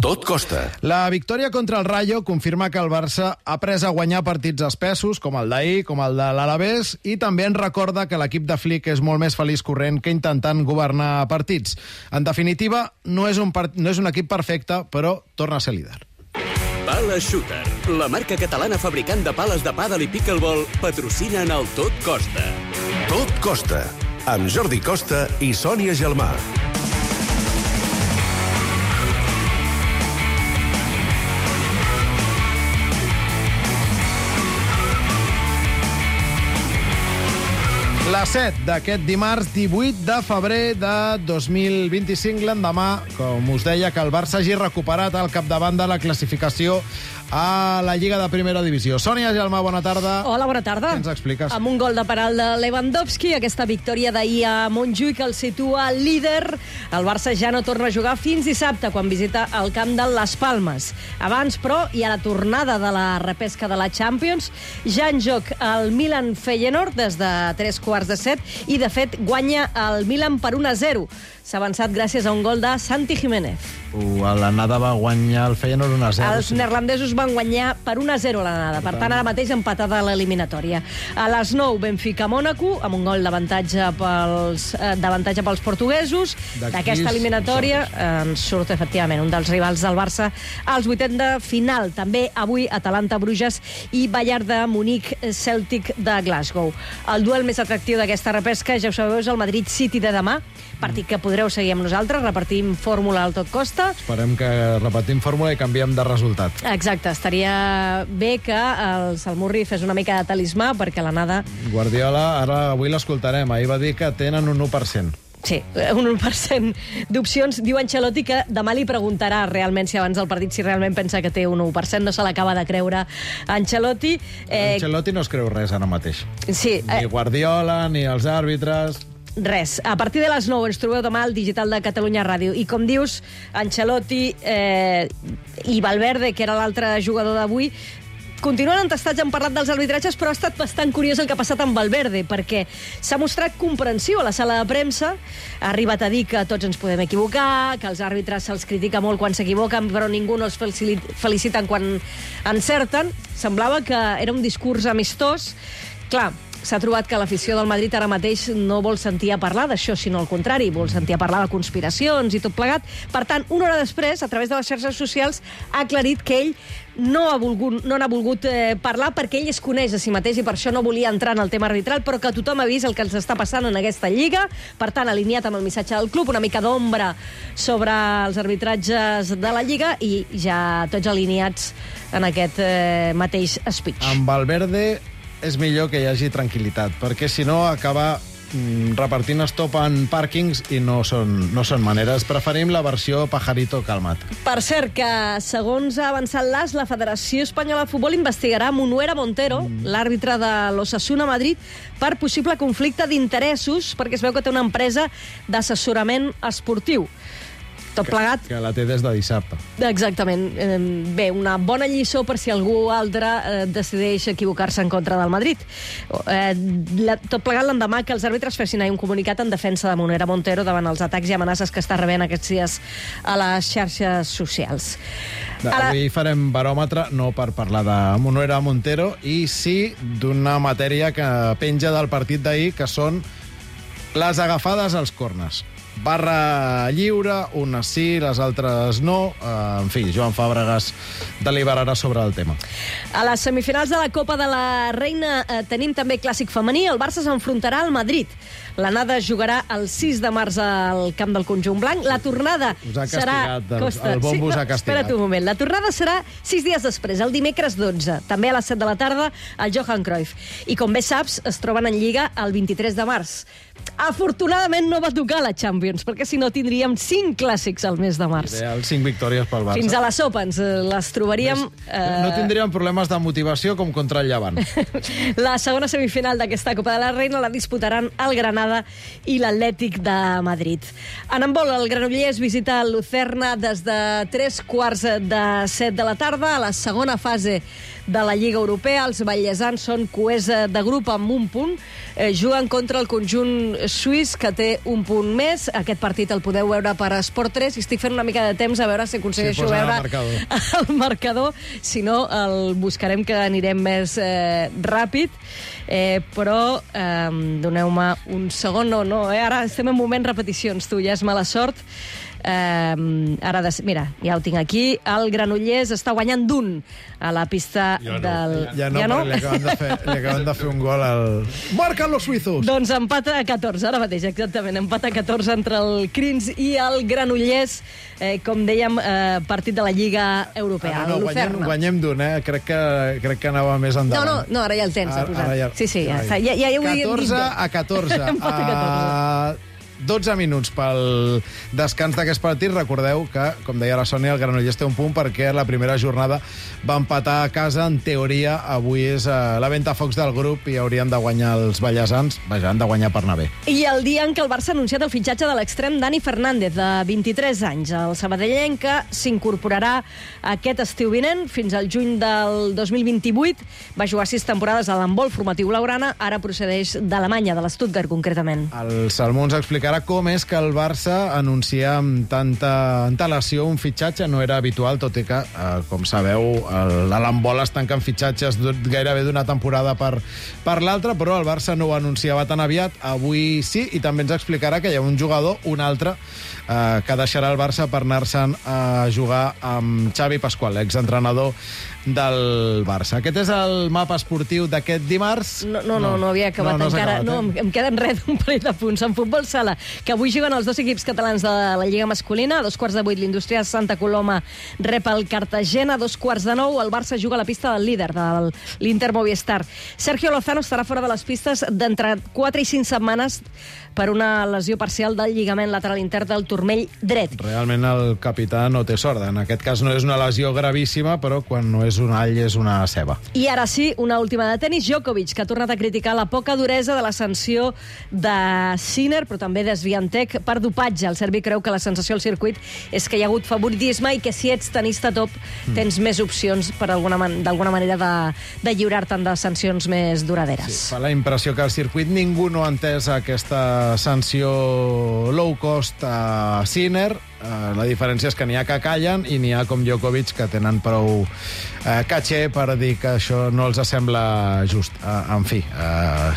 Tot costa. La victòria contra el Rayo confirma que el Barça ha pres a guanyar partits espessos, com el d'ahir, com el de l'Alavés, i també ens recorda que l'equip de Flick és molt més feliç corrent que intentant governar partits. En definitiva, no és un equip perfecte, però torna a ser líder. Pala Shooter, la marca catalana fabricant de pales de pàdel i pickleball, patrocina en el Tot Costa. Tot costa. Amb Jordi Costa i Sònia Gelmà. La 7 d'aquest dimarts 18 de febrer de 2025, l'endemà, com us deia, que el Barça hagi recuperat al capdavant de la classificació a la Lliga de Primera Divisió. Sònia Gelmà, bona tarda. Hola, bona tarda. Què ens expliques? Amb un gol de penal de Lewandowski, aquesta victòria d'ahir a Montjuïc el situa líder. El Barça ja no torna a jugar fins dissabte, quan visita el camp de Las Palmes. Abans, però, hi ha la tornada de la repesca de la Champions. Ja en joc el Milan-Feyenoord des de 3:15 i, de fet, guanya el Milan per 1-0. S'ha avançat gràcies a un gol de Santi Jiménez. L'anada va guanyar el Feyenoord 1-0. Els neerlandesos van guanyar per 1-0 l'anada. Per tant, ara mateix empatada a l'eliminatòria. A les 9, Benfica-Mònaco, amb un gol d'avantatge pels portuguesos. D'aquesta eliminatòria ens surt, efectivament, un dels rivals del Barça als vuitens de final. També avui Atalanta-Bruges i Bayern de Munic-Celtic de Glasgow. El duel més atractiu d'aquesta repesca, ja ho sabeu, és el Madrid-City de demà, partit que podreu seguir amb nosaltres, repartim fórmula al Tot Costa. Esperem que repetim fórmula i canviem de resultat. Exacte, estaria bé que el Salmurri fes una mica de talismà, perquè l'anada... Guardiola, ara avui l'escoltarem, ahir va dir que tenen un 1%. Sí, un 1% d'opcions. Diu Ancelotti que demà li preguntarà realment si abans del partit si realment pensa que té un 1%. No se l'acaba de creure Ancelotti. Ancelotti no es creu res ara mateix. Sí. Ni Guardiola, ni els àrbitres... Res. A partir de les 9 ens trobeu demà al digital de Catalunya Ràdio. I com dius, Ancelotti i Valverde, que era l'altre jugador d'avui, continuen entestats, han parlat dels arbitratges, però ha estat bastant curiós el que ha passat amb Valverde, perquè s'ha mostrat comprensiu a la sala de premsa, ha arribat a dir que tots ens podem equivocar, que els àrbitres se'ls critica molt quan s'equivoquen, però ningú no els feliciten quan encerten. Semblava que era un discurs amistós. Clar, s'ha trobat que l'afició del Madrid ara mateix no vol sentir a parlar d'això, sinó al contrari, vol sentir a parlar de conspiracions i tot plegat. Per tant, una hora després, a través de les xarxes socials, ha aclarit que ell no n'ha volgut parlar perquè ell es coneix a si mateix i per això no volia entrar en el tema arbitral, però que tothom ha vist el que ens està passant en aquesta lliga. Per tant, alineat amb el missatge del club, una mica d'ombra sobre els arbitratges de la lliga i ja tots alineats en aquest mateix speech. Amb Valverde és millor que hi hagi tranquil·litat, perquè si no acaba repartint estop en pàrquings i no són maneres. Preferim la versió pajarito calmat. Per cert, que segons ha avançat l'AS, la Federació Espanyola de Futbol investigarà Munuera Montero, l'àrbitre de l'Osasuna Madrid, per possible conflicte d'interessos, perquè es veu que té una empresa d'assessorament esportiu. Tot plegat. Que la té des de dissabte. Exactament. Bé, una bona lliçó per si algú altre decideix equivocar-se en contra del Madrid. Tot plegat l'endemà que els àrbitres fessin un comunicat en defensa de Munuera Montero davant els atacs i amenaces que està rebent aquests dies a les xarxes socials. Avui farem baròmetre, no per parlar de Munuera Montero, i sí d'una matèria que penja del partit d'ahir, que són les agafades als corners. Barra lliure, unes sí, les altres no. En fi, Joan Fàbregas deliberarà sobre el tema. A les semifinals de la Copa de la Reina tenim també clàssic femení. El Barça s'enfrontarà al Madrid. L'anada jugarà el 6 de març al camp del conjunt blanc. La tornada serà... El bombo us ha castigat. Espera't un moment. La tornada serà 6 dies després, el dimecres 12. També a les 7 de la tarda, al Johan Cruyff. I com bé saps, es troben en Lliga el 23 de març. Afortunadament no va tocar la Champions, perquè si no tindríem 5 clàssics al mes de març. Ideal, 5 victòries pel Barça. Fins a la sopa ens les trobaríem... No tindríem problemes de motivació com contra el Llevant. La segona semifinal d'aquesta Copa de la Reina la disputaran el Granada i l'Atlètic de Madrid. En handbol, el Granollers visita el Lucerna des de 3:15 de la tarda. A la segona fase de la Lliga Europea, els vallesans són coers de grup amb un punt. Juguen contra el conjunt suís, que té un punt més. aquest partit el podeu veure per Esport 3 i estic fent una mica de temps a veure si aconsegueixo veure el marcador. Si no, el buscarem, que anirem més ràpid. Però doneu-me un segon. No, ara estem en moment repeticions, tu, ja és mala sort. Mira, ja ho tinc aquí. El Granollers està guanyant d'1 a la pista del... Ja no? Li acaben de fer un gol al... Marquen los suizos! Doncs empat a 14, ara mateix, exactament. Empat a 14 entre el Crins i el Granollers, com dèiem, partit de la Lliga Europea. Guanyem d'1, Crec que anava més endavant. No, ara ja el tens, posat. Sí, ja està. 14 a 14. Empat a 14. 12 minuts pel descans d'aquest partit. Recordeu que, com deia la Sònia, el Granollers té un punt perquè la primera jornada va empatar a casa. En teoria, avui és la ventafocs del grup i haurien de guanyar els ballesans. Vaja, han de guanyar per anar bé. I el dia en què el Barça ha anunciat el fitxatge de l'extrem Dani Fernández, de 23 anys. El sabadellenc, que s'incorporarà aquest estiu vinent fins al juny del 2028. Va jugar 6 temporades a l'handbol formatiu blaugrana, ara procedeix d'Alemanya, de l'Stuttgart, concretament. El Salmó ens explicarà com és que el Barça anuncia amb tanta antelació un fitxatge. No era habitual, tot i que, com sabeu, a l'handbol es tanquen fitxatges gairebé d'una temporada per l'altra, però el Barça no ho anunciava tan aviat. Avui sí, i també ens explicarà que hi ha un jugador, un altre, que deixarà el Barça per anar-se'n a jugar amb Xavi Pasqual, exentrenador del Barça. Aquest és el mapa esportiu d'aquest dimarts. No havia acabat encara. No, em queden res d'un parell de punts. En futbol sala, que avui juguen els dos equips catalans de la Lliga masculina. A 7:15 l'Indústria Santa Coloma rep el Cartagena. A 8:45 el Barça juga a la pista del líder, de l'Inter Movistar. Sergio Lozano estarà fora de les pistes d'entre 4 i 5 setmanes per una lesió parcial del lligament lateral intern del turmell dret. Realment el capità no té sort. En aquest cas no és una lesió gravíssima, però quan no és un all és una ceba. I ara sí, una última de tenis. Djokovic, que ha tornat a criticar la poca duresa de la sanció de Sinner, però també de Swiatek per dopatge. El serbi creu que la sensació al circuit és que hi ha hagut favoritisme i que si ets tenista top tens més opcions per d'alguna manera de lliurar-te'n de sancions més duraderes. Sí, fa la impressió que al circuit ningú no ha entès aquesta sanció low cost a Sinner. La diferència és que n'hi ha que callen i n'hi ha com Djokovic que tenen prou caché per dir que això no els sembla just. En fi,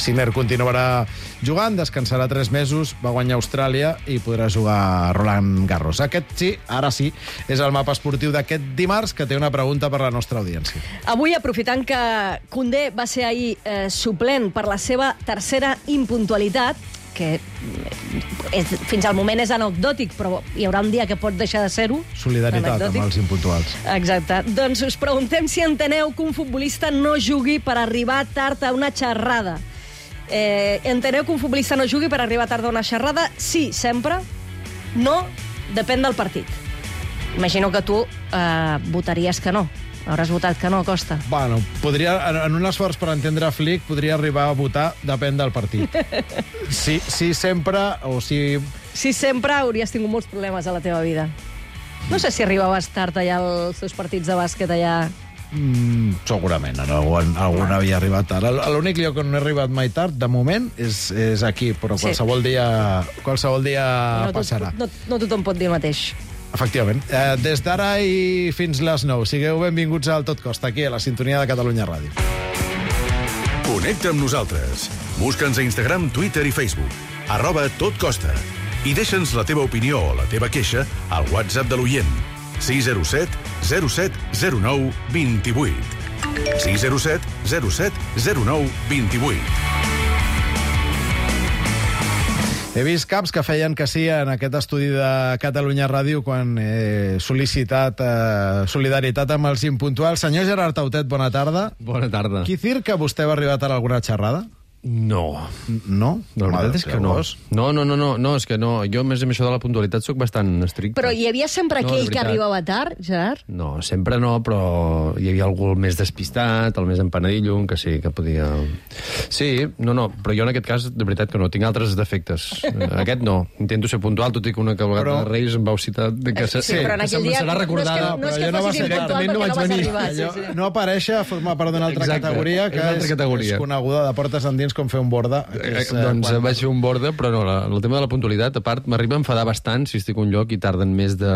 Sinner continuarà jugant, descansarà 3 mesos, va guanyar Austràlia i podrà jugar a Roland Garros. Aquest sí, ara sí, és el mapa esportiu d'aquest dimarts, que té una pregunta per la nostra audiència. Avui, aprofitant que Koundé va ser ahir suplent per la seva tercera impuntualitat, que fins al moment és anecdòtic, però hi haurà un dia que pot deixar de ser-ho. Solidaritat amb els impuntuals. Exacte. Doncs us preguntem si enteneu que un futbolista no jugui per arribar tard a una xerrada. Enteneu que un futbolista no jugui per arribar tard a una xerrada? Sí, sempre. No, depèn del partit. Imagino que tu votaries que no. Hauràs votat que no, Costa. Bueno, en un esforç per entendre Flick, podria arribar a votar depèn del partit. Sí, sempre, o si... Sí, sempre hauries tingut molts problemes a la teva vida. No sé si arribaves tard allà als teus partits de bàsquet allà... Segurament, algun havia arribat tard. L'únic lloc on no he arribat mai tard, de moment, és aquí, però qualsevol dia passarà. No tothom pot dir el mateix. Efectivament. Des d'ara i fins les 9. Sigueu benvinguts al Tot Costa, aquí a la sintonia de Catalunya Ràdio. Connecta amb nosaltres. Busca'ns a Instagram, Twitter i Facebook. @totcosta. I deixa'ns la teva opinió o la teva queixa al WhatsApp de l'oient. 607 07 09 28. 607 07 09 28. He vist caps que feien que sí en aquest estudi de Catalunya Ràdio quan he sol·licitat solidaritat amb els impuntuals. Senyor Gerard Tautet, bona tarda. Bona tarda. Quicir que vostè va arribar tard a alguna xerrada? No. No? La veritat és que no. No, és que no. Jo, més amb això de la puntualitat, sóc bastant estricte. Però hi havia sempre aquell que arribava tard, Gerard? No, sempre no, però hi havia algú el més despistat, el més empanadillo, que sí, que podia... Sí, però jo en aquest cas, de veritat que no, tinc altres defectes. Aquest no. Intento ser puntual, tot i que una vegada de Reis em vau citar... Sí, però en aquell dia... Serà recordada, no és que fossis impuntual perquè no vas arribar. No aparèixer a formar part d'una altra categoria, que és coneguda de portes endins ensenyis com fer un borda. Doncs vaig fer un borda, però no, el tema de la puntualitat, a part, m'arriba a enfadar bastant si estic a un lloc i tarden més de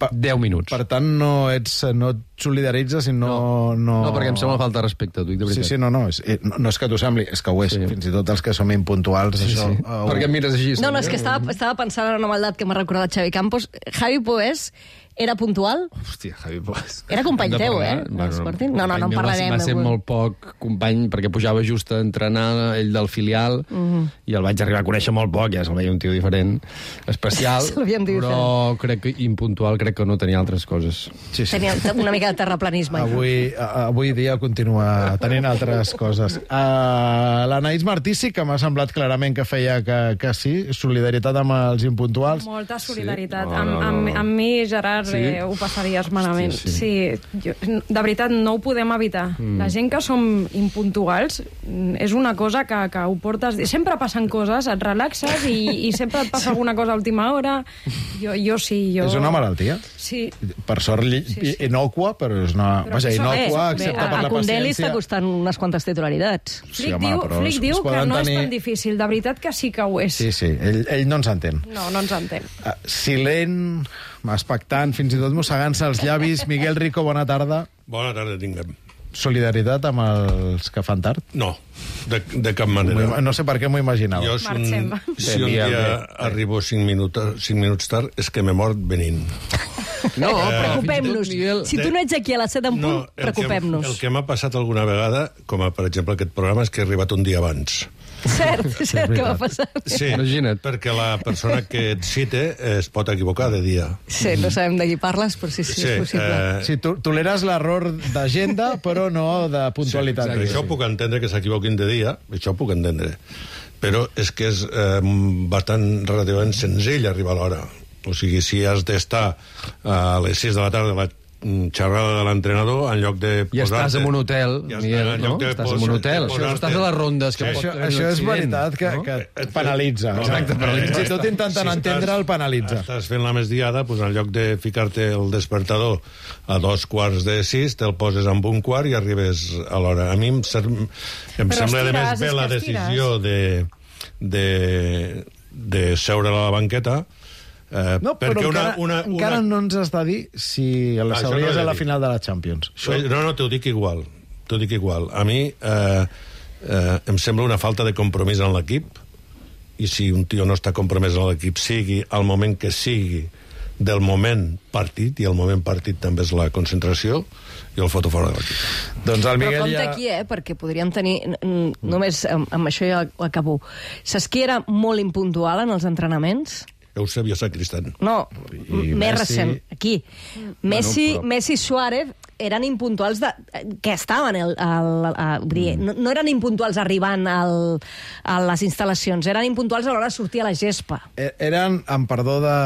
10 minuts. Per tant, no et solidaritzes i no... No, perquè em sembla falta de respecte, t'ho dic de veritat. Sí, no és que t'ho sembli, és que ho és. Fins i tot els que som impuntuals, això... Per què em mires així? No, és que estava pensant en una maldat que m'ha recordat Xavi Campos. Javi Poés era puntual? Hòstia, Javi Poés. Era company teu, eh? No en parlarem. Va ser molt poc company, perquè pujava just a entrenar, ell del filial, i el vaig arribar a conèixer molt poc, ja se'l veia un tio diferent, especial, però crec que impuntual, crec que no tenia altres coses. Tenia una mica de terraplanisme. Avui dia continua tenint altres coses. L'Anaïs Martí sí que m'ha semblat clarament que feia que sí, solidaritat amb els impuntuals. Molta solidaritat. Amb mi, Gerard, ho passaries malament. Sí, de veritat, no ho podem evitar. La gent que som impuntuals és una cosa que ho portes... Sempre passen coses, et relaxes i sempre et passa alguna cosa a última hora. Jo sí. És una malaltia? Sí. Per sort, inocua, però és una... Vaja, inocua, excepte per la paciència. A Condé li està costant unes quantes titularitats. Flick diu que no és tan difícil. De veritat que sí que ho és. Sí, ell no ens entén. No ens entén. Silent, expectant, fins i tot mossegant-se els llavis. Miguel Rico, bona tarda. Bona tarda, tinguem. Solidaritat amb els que fan tard? No, de cap manera. No sé per què m'ho imaginava. Jo, si un dia arribo 5 minuts tard, és que m'he mort venint. No, preocupem-nos. Si tu no ets aquí a les 7 en punt, preocupem-nos. El que m'ha passat alguna vegada, com per exemple aquest programa, és que he arribat un dia abans. Cert que m'ha passat. Sí, imagina't. Perquè la persona que et cite es pot equivocar de dia. Sí, no sabem de qui parles, però sí, és possible. Sí, toleres l'error d'agenda, però no de puntualitat. Sí, això puc entendre que s'equivoquin de dia, això puc entendre. Però és que és bastant relativament senzill arribar a l'hora. O sigui, si has d'estar a les 6 de la tarda a la xerrada de l'entrenador, en lloc de posar-te... I estàs en un hotel, Miguel, no? Estàs en un hotel. Estàs a les rondes. Això és veritat que et penalitza. Exacte, penalitza. Si tot intentant entendre, el penalitza. Estàs fent la migdiada, doncs en lloc de ficar-te el despertador a 5:45, te'l poses amb 1:15 i arribes a l'hora. A mi em sembla, a més, bé la decisió de seure a la banqueta. No, però encara no ens has de dir si la sabries a la final de la Champions. No, t'ho dic igual. A mi em sembla una falta de compromís en l'equip, i si un tio no està compromès en l'equip, sigui al moment que sigui del moment partit, i el moment partit també és la concentració, i el foto fora de l'equip. Doncs el Miguel però compte aquí, perquè podríem tenir... Només amb això ja ho acabo. Saps qui era molt impuntual en els entrenaments? Eusebio Sacristán. No, més recent, aquí. Messi i Suárez eren impuntuals que estaven no eren impuntuals arribant a les instal·lacions, eren impuntuals a l'hora de sortir a la gespa. Eren, amb perdó de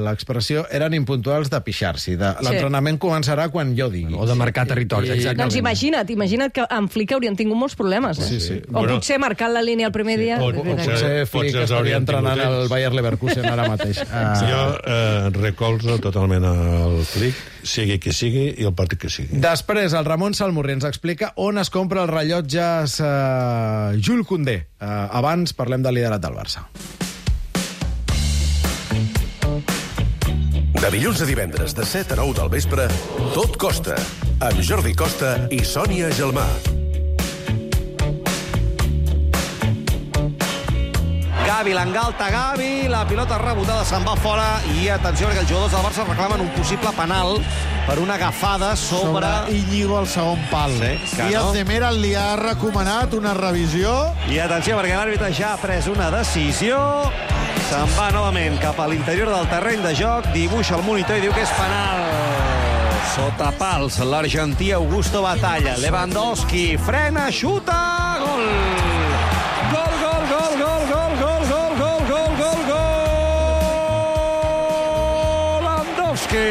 l'expressió, eren impuntuals de pixar-s'hi. L'entrenament començarà quan jo digui. O de marcar territoris, exactament. Doncs imagina't que amb Flick haurien tingut molts problemes. O potser marcant la línia el primer dia. Potser Flick estaria entrenant el Bayer Leverkusen ara mateix. Jo recolzo totalment el Flick, sigui qui sigui i el partit que sigui. Després, el Ramon Salmurri ens explica on es compra els rellotges Jules Koundé. Abans parlem del liderat del Barça. De dilluns a divendres, de 7 a 9 del vespre, Tot Costa, amb Jordi Costa i Sònia Gelmà. Gavi, l'engalta Gavi, la pilota rebotada se'n va fora i atenció perquè els jugadors del Barça reclamen un possible penal per una agafada sobre Íñigo al segon pal. Díaz de Mera li ha recomanat una revisió. I atenció perquè l'àrbitre ja ha pres una decisió. Se'n va novament cap a l'interior del terreny de joc, dibuixa el monitor i diu que és penal. Sota pals, l'argentí Augusto Batalla. Lewandowski frena, xuta, gol! Gol, gol, gol, gol, gol, gol, gol, gol, gol, gol, gol! Lewandowski!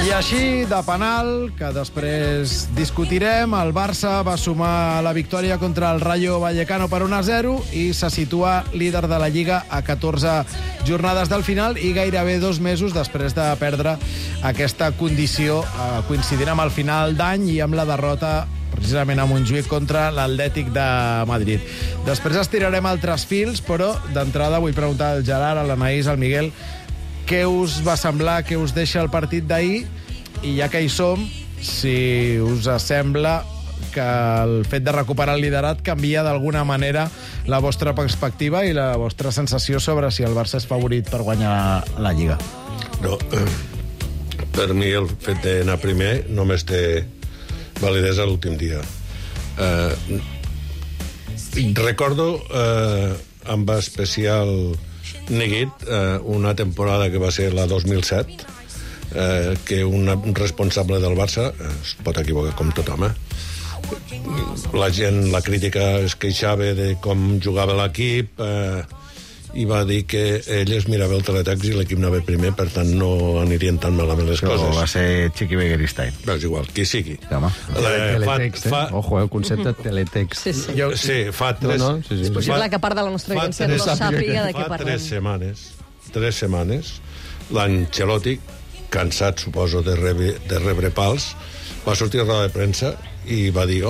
I així, de penal, que després discutirem, el Barça va sumar la victòria contra el Rayo Vallecano per 1-0 i se situa líder de la Lliga a 14 jornades del final i gairebé 2 mesos després de perdre aquesta condició, coincidint amb el final d'any i amb la derrota precisament a Montjuïc contra l'Atlètic de Madrid. Després estirarem altres fils, però d'entrada vull preguntar al Gerard, a l'Anaïs, al Miguel, què us va semblar, què us deixa el partit d'ahir, i ja que hi som, si us sembla que el fet de recuperar el liderat canvia d'alguna manera la vostra perspectiva i la vostra sensació sobre si el Barça és favorit per guanyar la Lliga. No, per mi el fet d'anar primer només té validesa l'últim dia. Recordo amb especial neguit una temporada que va ser la 2007, que un responsable del Barça es pot equivocar com tothom, la gent, la crítica es queixava de com jugava l'equip, i va dir que ell es mirava el teletext i l'equip anava primer, per tant no anirien tan malament les coses. Va ser Chiqui Begueristain. És igual, qui sigui. Teletext, Ojo, el concepte teletext. Sí, fa tres... És possible que part de la nostra audiència no sàpiga de què parlem. Fa 3 setmanes, l'Ancelotti, cansat, suposo, de rebre pals, va sortir a roda de premsa i va dir,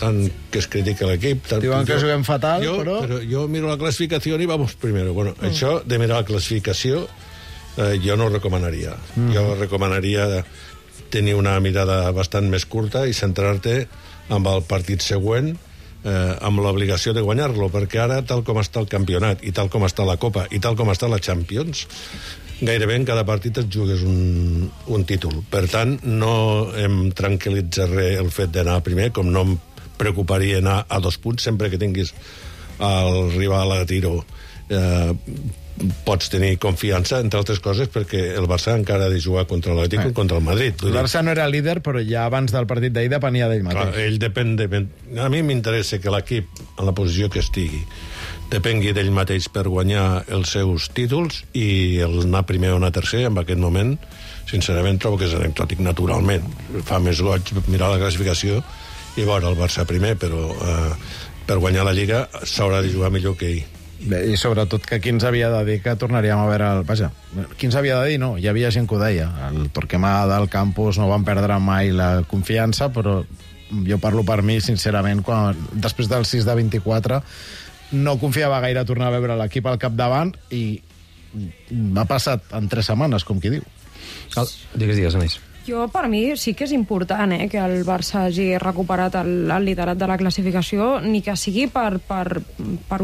tant que es critica l'equip... Diuen que juguem fatal, però jo miro la classificació i vamos primero. Bueno, això de mirar la classificació jo no ho recomanaria. Jo recomanaria tenir una mirada bastant més curta i centrar-te amb el partit següent, amb l'obligació de guanyar-lo, perquè ara, tal com està el campionat, i tal com està la Copa, i tal com està la Champions, gairebé en cada partit et jugues un títol. Per tant, no em tranquil·litza res el fet d'anar primer, com no em preocuparia anar a 2 punts, sempre que tinguis el rival a tiro pots tenir confiança, entre altres coses, perquè el Barça encara ha de jugar contra l'Atlètic i contra el Madrid. El Barça no era líder, però ja abans del partit d'ahir depenia d'ell mateix. Clar, ell depèn a mi m'interessa que l'equip, en la posició que estigui, depengui d'ell mateix per guanyar els seus títols, i el anar primer o anar tercer, en aquest moment, sincerament trobo que és anecdòtic naturalment. Fa més goig mirar la classificació i veure el Barça primer, però per guanyar la Lliga s'haurà de jugar millor que ell. Bé, i sobretot que qui ens havia de dir que tornaríem a veure vaja, qui ens havia de dir? No, hi havia gent que ho deia. El Torquemada del campus no van perdre mai la confiança, però jo parlo per mi, sincerament, després del 6 de 24 no confiava gaire tornar a veure l'equip al capdavant, i m'ha passat en 3 setmanes, com qui diu. Digues, Anais. Jo, per mi, sí que és important que el Barça hagi recuperat el liderat de la classificació, ni que sigui per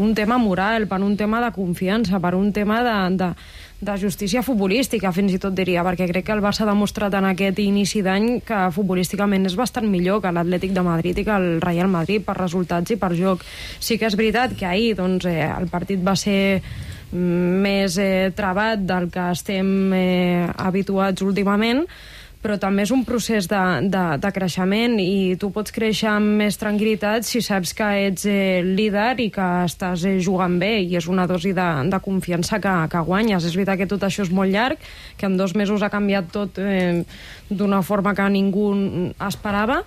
un tema moral, per un tema de confiança, per un tema de justícia futbolística, fins i tot diria, perquè crec que el Barça ha demostrat en aquest inici d'any que futbolísticament és bastant millor que l'Atlètic de Madrid i que el Real Madrid per resultats i per joc. Sí que és veritat que ahir el partit va ser més travat del que estem habituats últimament, però també és un procés de creixement, i tu pots créixer amb més tranquil·litat si saps que ets líder i que estàs jugant bé, i és una dosi de confiança que guanyes. És veritat que tot això és molt llarg, que en 2 mesos ha canviat tot d'una forma que ningú esperava,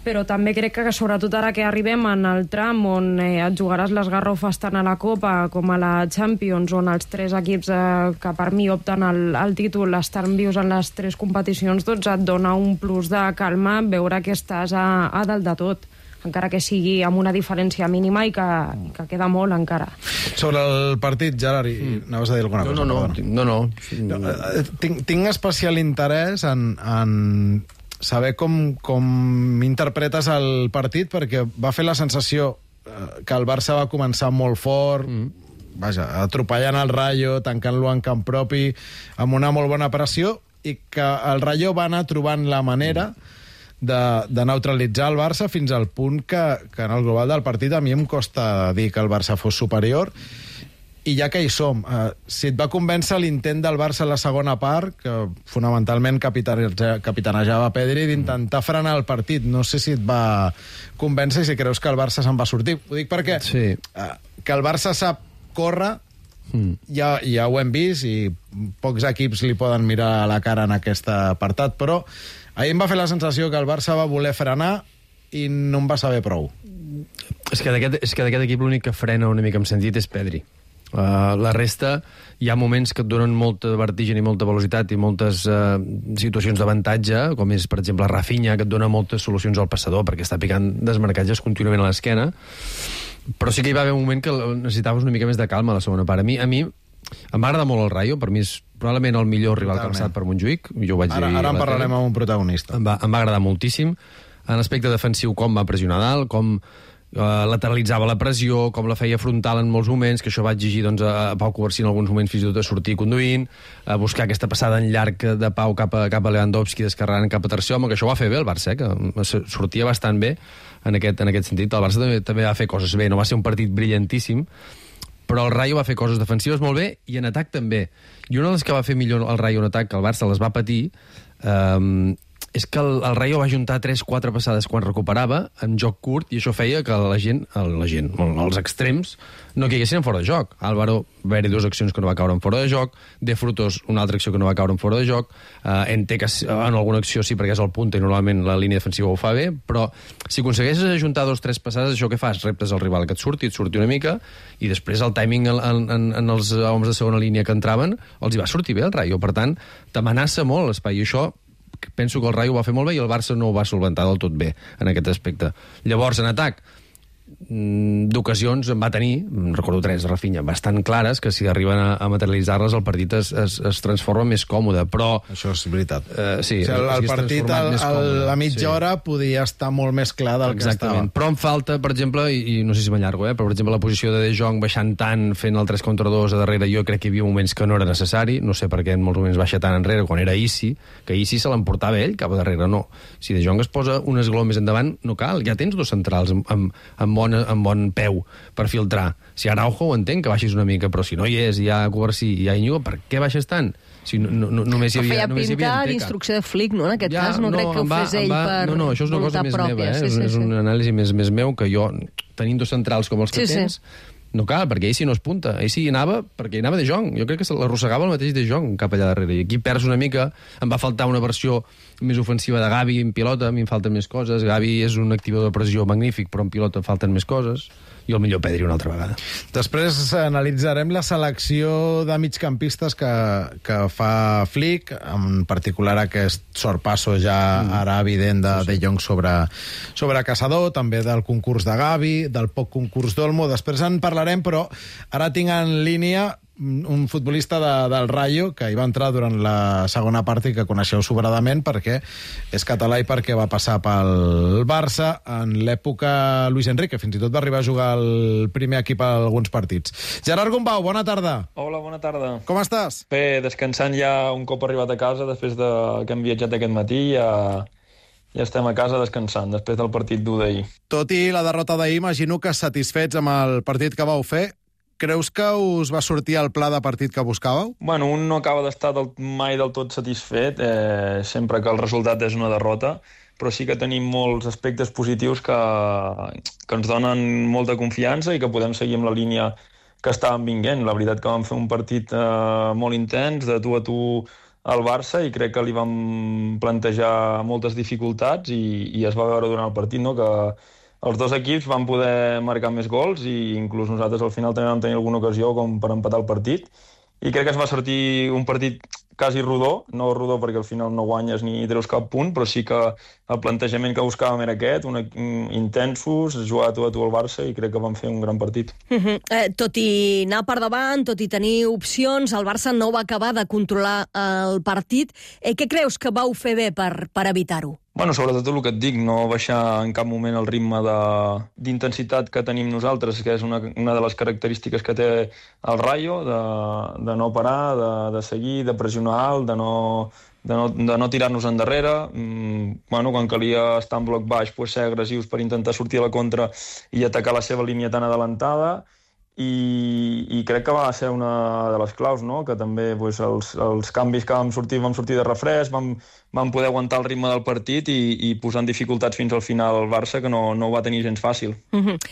però també crec que sobretot ara que arribem en el tram on et jugaràs les garrofes tant a la Copa com a la Champions, on els 3 equips que per mi opten al títol estan vius en les 3 competicions, doncs et dona un plus de calma veure que estàs a dalt de tot, encara que sigui amb una diferència mínima i que queda molt encara. Sobre el partit, Gerard, anaves a dir alguna cosa? No. Tinc especial interès en saber com interpretes el partit, perquè va fer la sensació que el Barça va començar molt fort, atropellant el Rayo, tancant-lo en camp propi, amb una molt bona pressió, i que el Rayo va anar trobant la manera de neutralitzar el Barça fins al punt que en el global del partit a mi em costa dir que el Barça fos superior. I ja que hi som, si et va convèncer l'intent del Barça a la segona part, que fonamentalment capitanejava Pedri, d'intentar frenar el partit, no sé si et va convèncer i si creus que el Barça se'n va sortir. Ho dic perquè que el Barça sap córrer, ja ho hem vist, i pocs equips li poden mirar a la cara en aquest apartat, però ahir em va fer la sensació que el Barça va voler frenar i no em va saber prou. És que d'aquest equip l'únic que frena una mica en sentit és Pedri. La resta, hi ha moments que et donen molta vertigen i molta velocitat i moltes situacions d'avantatge, com és, per exemple, Rafinha, que et dona moltes solucions al passador, perquè està picant desmarcatges contínuament a l'esquena. Però sí que hi va haver un moment que necessitaves una mica més de calma a la segona part. A mi em va agradar molt el Rayo, per mi és probablement el millor rival que ha passat per Montjuïc. Jo ho vaig dir ara en parlarem amb un protagonista. Em va agradar moltíssim. En aspecte defensiu, com va pressionar dalt, com lateralitzava la pressió, com la feia frontal en molts moments, que això va exigir doncs, a Pau Covarsí en alguns moments fins i tot a sortir conduint, a buscar aquesta passada en llarg de Pau cap a Lewandowski, descarregant cap a tercer home, que això ho va fer bé el Barça, que sortia bastant bé en aquest sentit. El Barça també va fer coses bé, no va ser un partit brillantíssim, però el Rayo va fer coses defensives molt bé i en atac també. I una de les que va fer millor el Rayo en atac, que el Barça les va patir, és que el Rayo va juntar 3-4 passades quan recuperava, en joc curt, i això feia que els extrems no caiguessin en fora de joc. Álvaro va haver-hi 2 accions que no va caure en fora de joc, De Frutos una altra acció que no va caure en fora de joc, Ente que en alguna acció sí perquè és el punta i normalment la línia defensiva ho fa bé, però si aconsegueixes ajuntar 2 o 3 passades, això què fas? Reptes al rival que et surti una mica, i després el timing en els homes de segona línia que entraven els hi va sortir bé el Rayo. Per tant, t'amenaça molt l'espai, i això penso que el Rayo ho va fer molt bé i el Barça no ho va solventar del tot bé en aquest aspecte. Llavors, en atac, d'ocasions en va tenir, recordo 3 de Rafinha, bastant clares, que si arriben a materialitzar-les el partit es transforma més còmode, però... Això és veritat. Sí, o sigui, el partit a mitja hora podia estar molt més clar del que estava. Però em falta, per exemple, i no sé si m'allargo, però per exemple la posició de De Jong baixant tant, fent el 3 contra 2 a darrere, jo crec que hi havia moments que no era necessari, no sé per què en molts moments baixa tant enrere, quan era Isi, que Isi se l'emportava ell cap a darrere, no. Si De Jong es posa un esglaó més endavant, no cal, ja tens 2 centrals amb bon peu per filtrar. Si Araujo ho entenc que baixis una mica, però si no hi és, hi ha Covarsí i hi ha Íñigo, per què baixes tant? Si només hi havia... Feia pinta d'instrucció de Flick, no? En aquest cas, no crec que ho fes ell per No, això és una cosa més meva, és una anàlisi més meu, que jo, tenint 2 centrals com els que tens, no cal, perquè ell sí no es punta. Ell sí anava perquè hi anava De Jong. Jo crec que l'arrossegava el mateix De Jong cap allà darrere. I aquí perds una mica. Em va faltar una versió més ofensiva de Gavi en pilota. A mi em falten més coses. Gavi és un activador de pressió magnífic, però en pilota falten més coses. I el millor Pedri una altra vegada. Després analitzarem la selecció de migcampistes que fa Flick, en particular aquest sorpasso ja ara evident de Jong sobre Caçador, també del concurs de Gavi, del poc concurs d'Olmo. Després en parlarem, però ara tinc en línia un futbolista del Rayo que hi va entrar durant la segona part i que coneixeu sobradament perquè és català i perquè va passar pel Barça en l'època Luis Enrique, fins i tot va arribar a jugar al primer equip a alguns partits. Gerard Gombau, bona tarda. Hola, bona tarda. Com estàs? Bé, descansant ja un cop arribat a casa, després que hem viatjat aquest matí, ja estem a casa descansant, després del partit d'1 d'ahir. Tot i la derrota d'ahir, imagino que satisfets amb el partit que vau fer. Creus que us va sortir el pla de partit que buscàveu? Bueno, un no acaba d'estar mai del tot satisfet, sempre que el resultat és una derrota, però sí que tenim molts aspectes positius que ens donen molta confiança i que podem seguir amb la línia que estàvem vinguent. La veritat que vam fer un partit molt intens, de tu a tu al Barça, i crec que li vam plantejar moltes dificultats i es va veure durant el partit, no?, que els 2 equips van poder marcar més gols i inclús nosaltres al final també vam tenir alguna ocasió com per empatar el partit. I crec que es va sortir un partit quasi rodó, no rodó perquè al final no guanyes ni treus cap punt, però sí que el plantejament que buscàvem era aquest, intensos, jugar a tu al Barça, i crec que vam fer un gran partit. Tot i anar per davant, tot i tenir opcions, el Barça no va acabar de controlar el partit. Què creus que vau fer bé per evitar-ho? Bueno, sobretot el que et dic, no baixar en cap moment el ritme d'intensitat que tenim nosaltres, que és una de les característiques que té el Rayo, de no parar, de seguir, de pressionar alt, de no tirar-nos endarrere. Bueno, quan calia estar en bloc baix, ser agressius per intentar sortir a la contra i atacar la seva línia tan adelantada. I crec que va ser una de les claus, no?, que també els canvis que vam sortir de refresc, vam poder aguantar el ritme del partit i posar en dificultats fins al final el Barça, que no ho va tenir gens fàcil.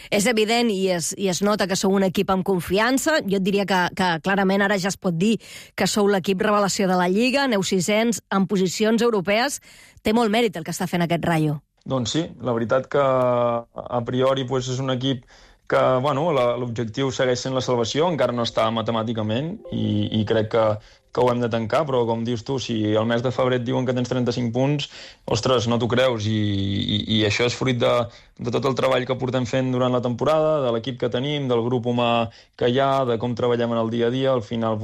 És evident i es nota que sou un equip amb confiança. Jo et diria que clarament ara ja es pot dir que sou l'equip revelació de la Lliga, aneu 600 en posicions europees. Té molt mèrit el que està fent aquest Rayo. Doncs sí, la veritat que a priori és un equip l'objectiu segueix sent la salvació, encara no està matemàticament, i crec que ho hem de tancar, però com dius tu, si al mes de febrer et diuen que tens 35 punts, ostres, no t'ho creus, i això és fruit de tot el treball que portem fent durant la temporada, de l'equip que tenim, del grup humà que hi ha, de com treballem en el dia a dia. Al final,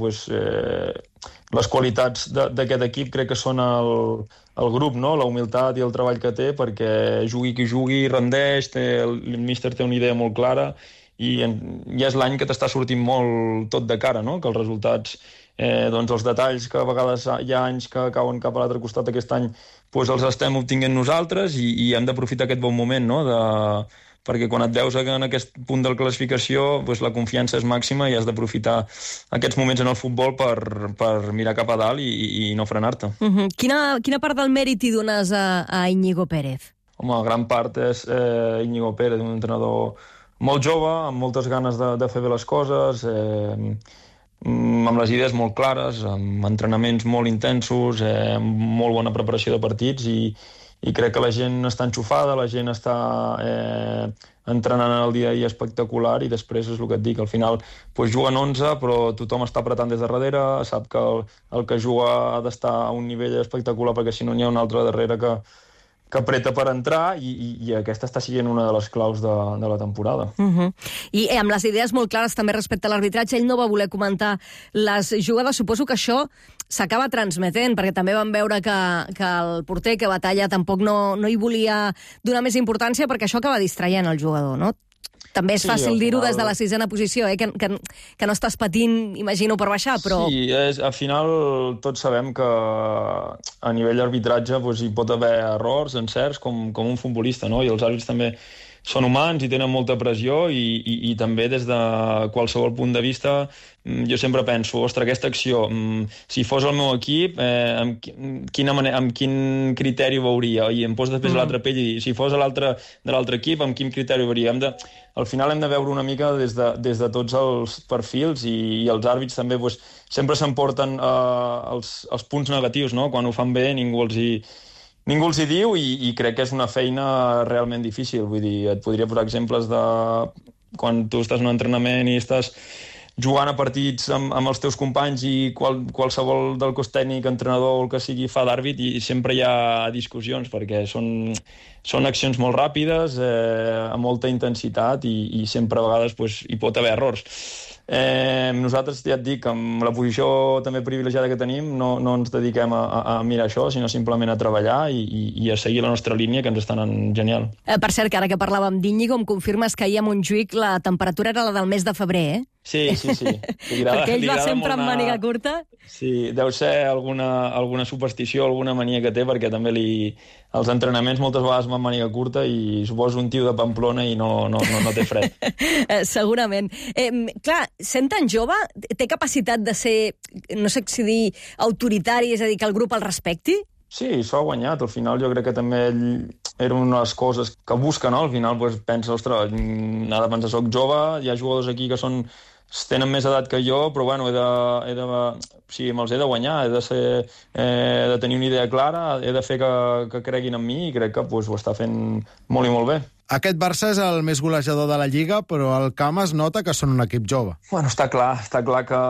les qualitats d'aquest equip crec que són el grup, no? La humilitat i el treball que té, perquè jugui qui jugui, rendeix, el míster té una idea molt clara, i és l'any que t'està sortint molt tot de cara, no? Que els resultats, els detalls que a vegades hi ha anys que cauen cap a l'altre costat, aquest any els estem obtinguent nosaltres, i hem d'aprofitar aquest bon moment, no? Perquè quan et veus en aquest punt de la classificació, la confiança és màxima i has d'aprofitar aquests moments en el futbol per mirar cap a dalt i no frenar-te. Quina part del mèrit hi dones a Íñigo Pérez? Home, gran part és Íñigo Pérez, un entrenador molt jove, amb moltes ganes de fer bé les coses, amb les idees molt clares, amb entrenaments molt intensos, amb molt bona preparació de partits, i crec que la gent està enxufada, la gent està entrenant en el dia a dia espectacular, i després és el que et dic, al final juguen 11, però tothom està apretant des de darrere, sap que el que juga ha d'estar a un nivell espectacular, perquè si no n'hi ha un altre darrere que apreta per entrar, i aquesta està sent una de les claus de la temporada. I amb les idees molt clares també respecte a l'arbitratge, ell no va voler comentar les jugades. Suposo que això s'acaba transmetent, perquè també vam veure que el porter, que Batalla, tampoc no hi volia donar més importància, perquè això acaba distraient el jugador, no? També és fàcil dir-ho des de la 6a posició, que no estàs patint, imagino, per baixar, però... Sí, al final tots sabem que a nivell d'arbitratge hi pot haver errors, encerts, com un futbolista, no? I els àrbits també són humans i tenen molta pressió, i també des de qualsevol punt de vista jo sempre penso, ostres, aquesta acció, si fos el meu equip, amb quin criteri ho veuria? I em poso després a l'altra pell i si fos de l'altre equip, amb quin criteri ho veuria? Al final hem de veure una mica des de tots els perfils, i els àrbits també sempre s'emporten els punts negatius, no? Quan ho fan bé ningú els hi diu, i crec que és una feina realment difícil. Vull dir, et podria posar exemples de quan tu estàs en un entrenament i estàs jugant a partits amb els teus companys, i qualsevol del cos tècnic, entrenador o el que sigui, fa d'àrbit, i sempre hi ha discussions, perquè són accions molt ràpides, amb molta intensitat, i sempre a vegades hi pot haver errors. Nosaltres, ja et dic, amb la posició també privilegiada que tenim, no ens dediquem a mirar això, sinó simplement a treballar i a seguir la nostra línia, que ens està anant genial. Per cert, que ara que parlàvem d'Íñigo, em confirmes que ahir a Montjuïc la temperatura era la del mes de febrer, eh? Sí. Perquè ell va sempre amb màniga curta. Sí, deu ser alguna superstició, alguna mania que té, perquè també els entrenaments moltes vegades amb màniga curta, i suposo un tio de Pamplona i no té fred. Segurament. Clar, sent tan jove, té capacitat de ser, no sé si dir, autoritari, és a dir, que el grup el respecti? Sí, s'ho ha guanyat. Al final jo crec que també ell era una de les coses que busca, no? Al final pensa, ostres, ha de pensar, soc jove, hi ha jugadors aquí que tenen més edat que jo, però bueno, me'ls he de guanyar, he de tenir una idea clara, he de fer que creguin en mi, i crec que ho està fent molt i molt bé. Aquest Barça és el més golejador de la Lliga, però al camp es nota que són un equip jove. Bueno, està clar que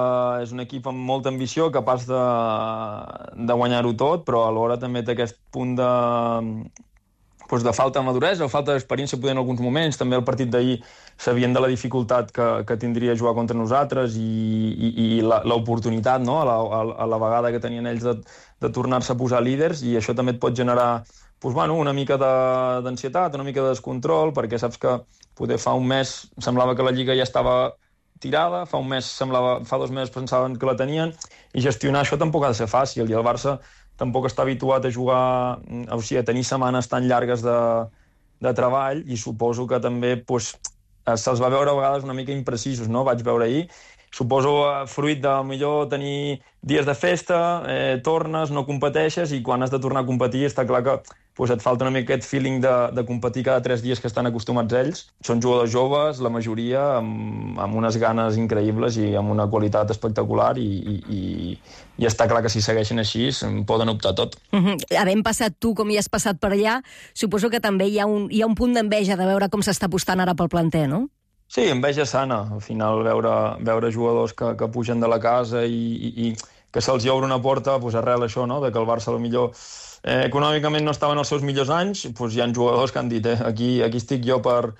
és un equip amb molta ambició, capaç de guanyar-ho tot, però alhora també té aquest punt de falta de maduresa o falta d'experiència poder en alguns moments. També el partit d'ahir sabien de la dificultat que tindria jugar contra nosaltres, i l'oportunitat, no? a la vegada que tenien ells de tornar-se a posar líders, i això també et pot generar una mica d'ansietat, una mica de descontrol, perquè saps que poder fa un mes semblava que la Lliga ja estava tirada, fa 2 mesos pensaven que la tenien, i gestionar això tampoc ha de ser fàcil, i el Barça tampoc està habituat a jugar, o sigui, a tenir setmanes tan llargues de treball, i suposo que també se'ls va veure a vegades una mica imprecisos, no? Vaig veure ahir, suposo fruit de millor tenir dies de festa, tornes, no competeixes, i quan has de tornar a competir està clar que et falta una mica aquest feeling de competir cada 3 dies que estan acostumats ells. Són jugadors joves, la majoria, amb unes ganes increïbles i amb una qualitat espectacular, i està clar que si segueixen així poden optar tot. Havent passat tu com hi has passat per allà, suposo que també hi ha un punt d'enveja de veure com s'està apostant ara pel planter, no? Sí, enveja sana. Al final, veure jugadors que pugen de la casa i que se'ls obre una porta, doncs arrel això, no?, de que el Barça potser econòmicament no estava en els seus millors anys, doncs hi ha jugadors que han dit aquí estic jo per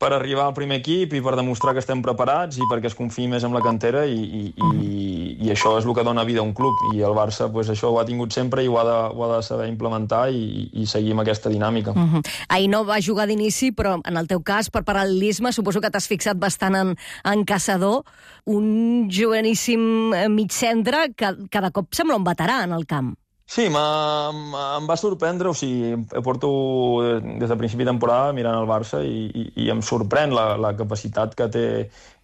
arribar al primer equip i per demostrar que estem preparats i perquè es confiï més en la cantera i això és el que dona vida a un club. I el Barça doncs, això ho ha tingut sempre i ho ha de saber implementar i seguir amb aquesta dinàmica. Ahir no va jugar d'inici, però en el teu cas, per paral·lelisme, suposo que t'has fixat bastant en Caçador, un joveníssim migcentre que cada cop sembla un veterà en el camp. Sí, em va sorprendre, o sigui, porto des de principi de temporada mirant el Barça i em sorprèn la capacitat que té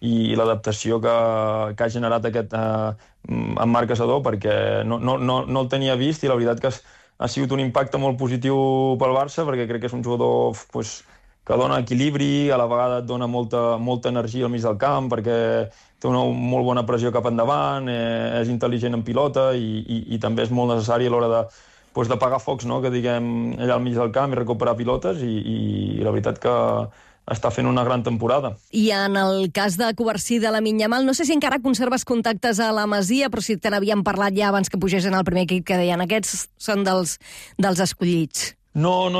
i l'adaptació que ha generat aquest en Marc Caçador, perquè no el tenia vist i la veritat que ha sigut un impacte molt positiu pel Barça, perquè crec que és un jugador que dona equilibri, a la vegada et dona molta energia al mig del camp, perquè té una molt bona pressió cap endavant, és intel·ligent en pilota i també és molt necessari a l'hora d'apagar focs, no?, que diguem allà al mig del camp i recuperar pilotes i la veritat que està fent una gran temporada. I en el cas de Covarsí de la Minyamal, no sé si encara conserves contactes a la Masia, però si te n'havíem parlat ja abans que pugessin al primer equip, que deien aquests són dels escollits. No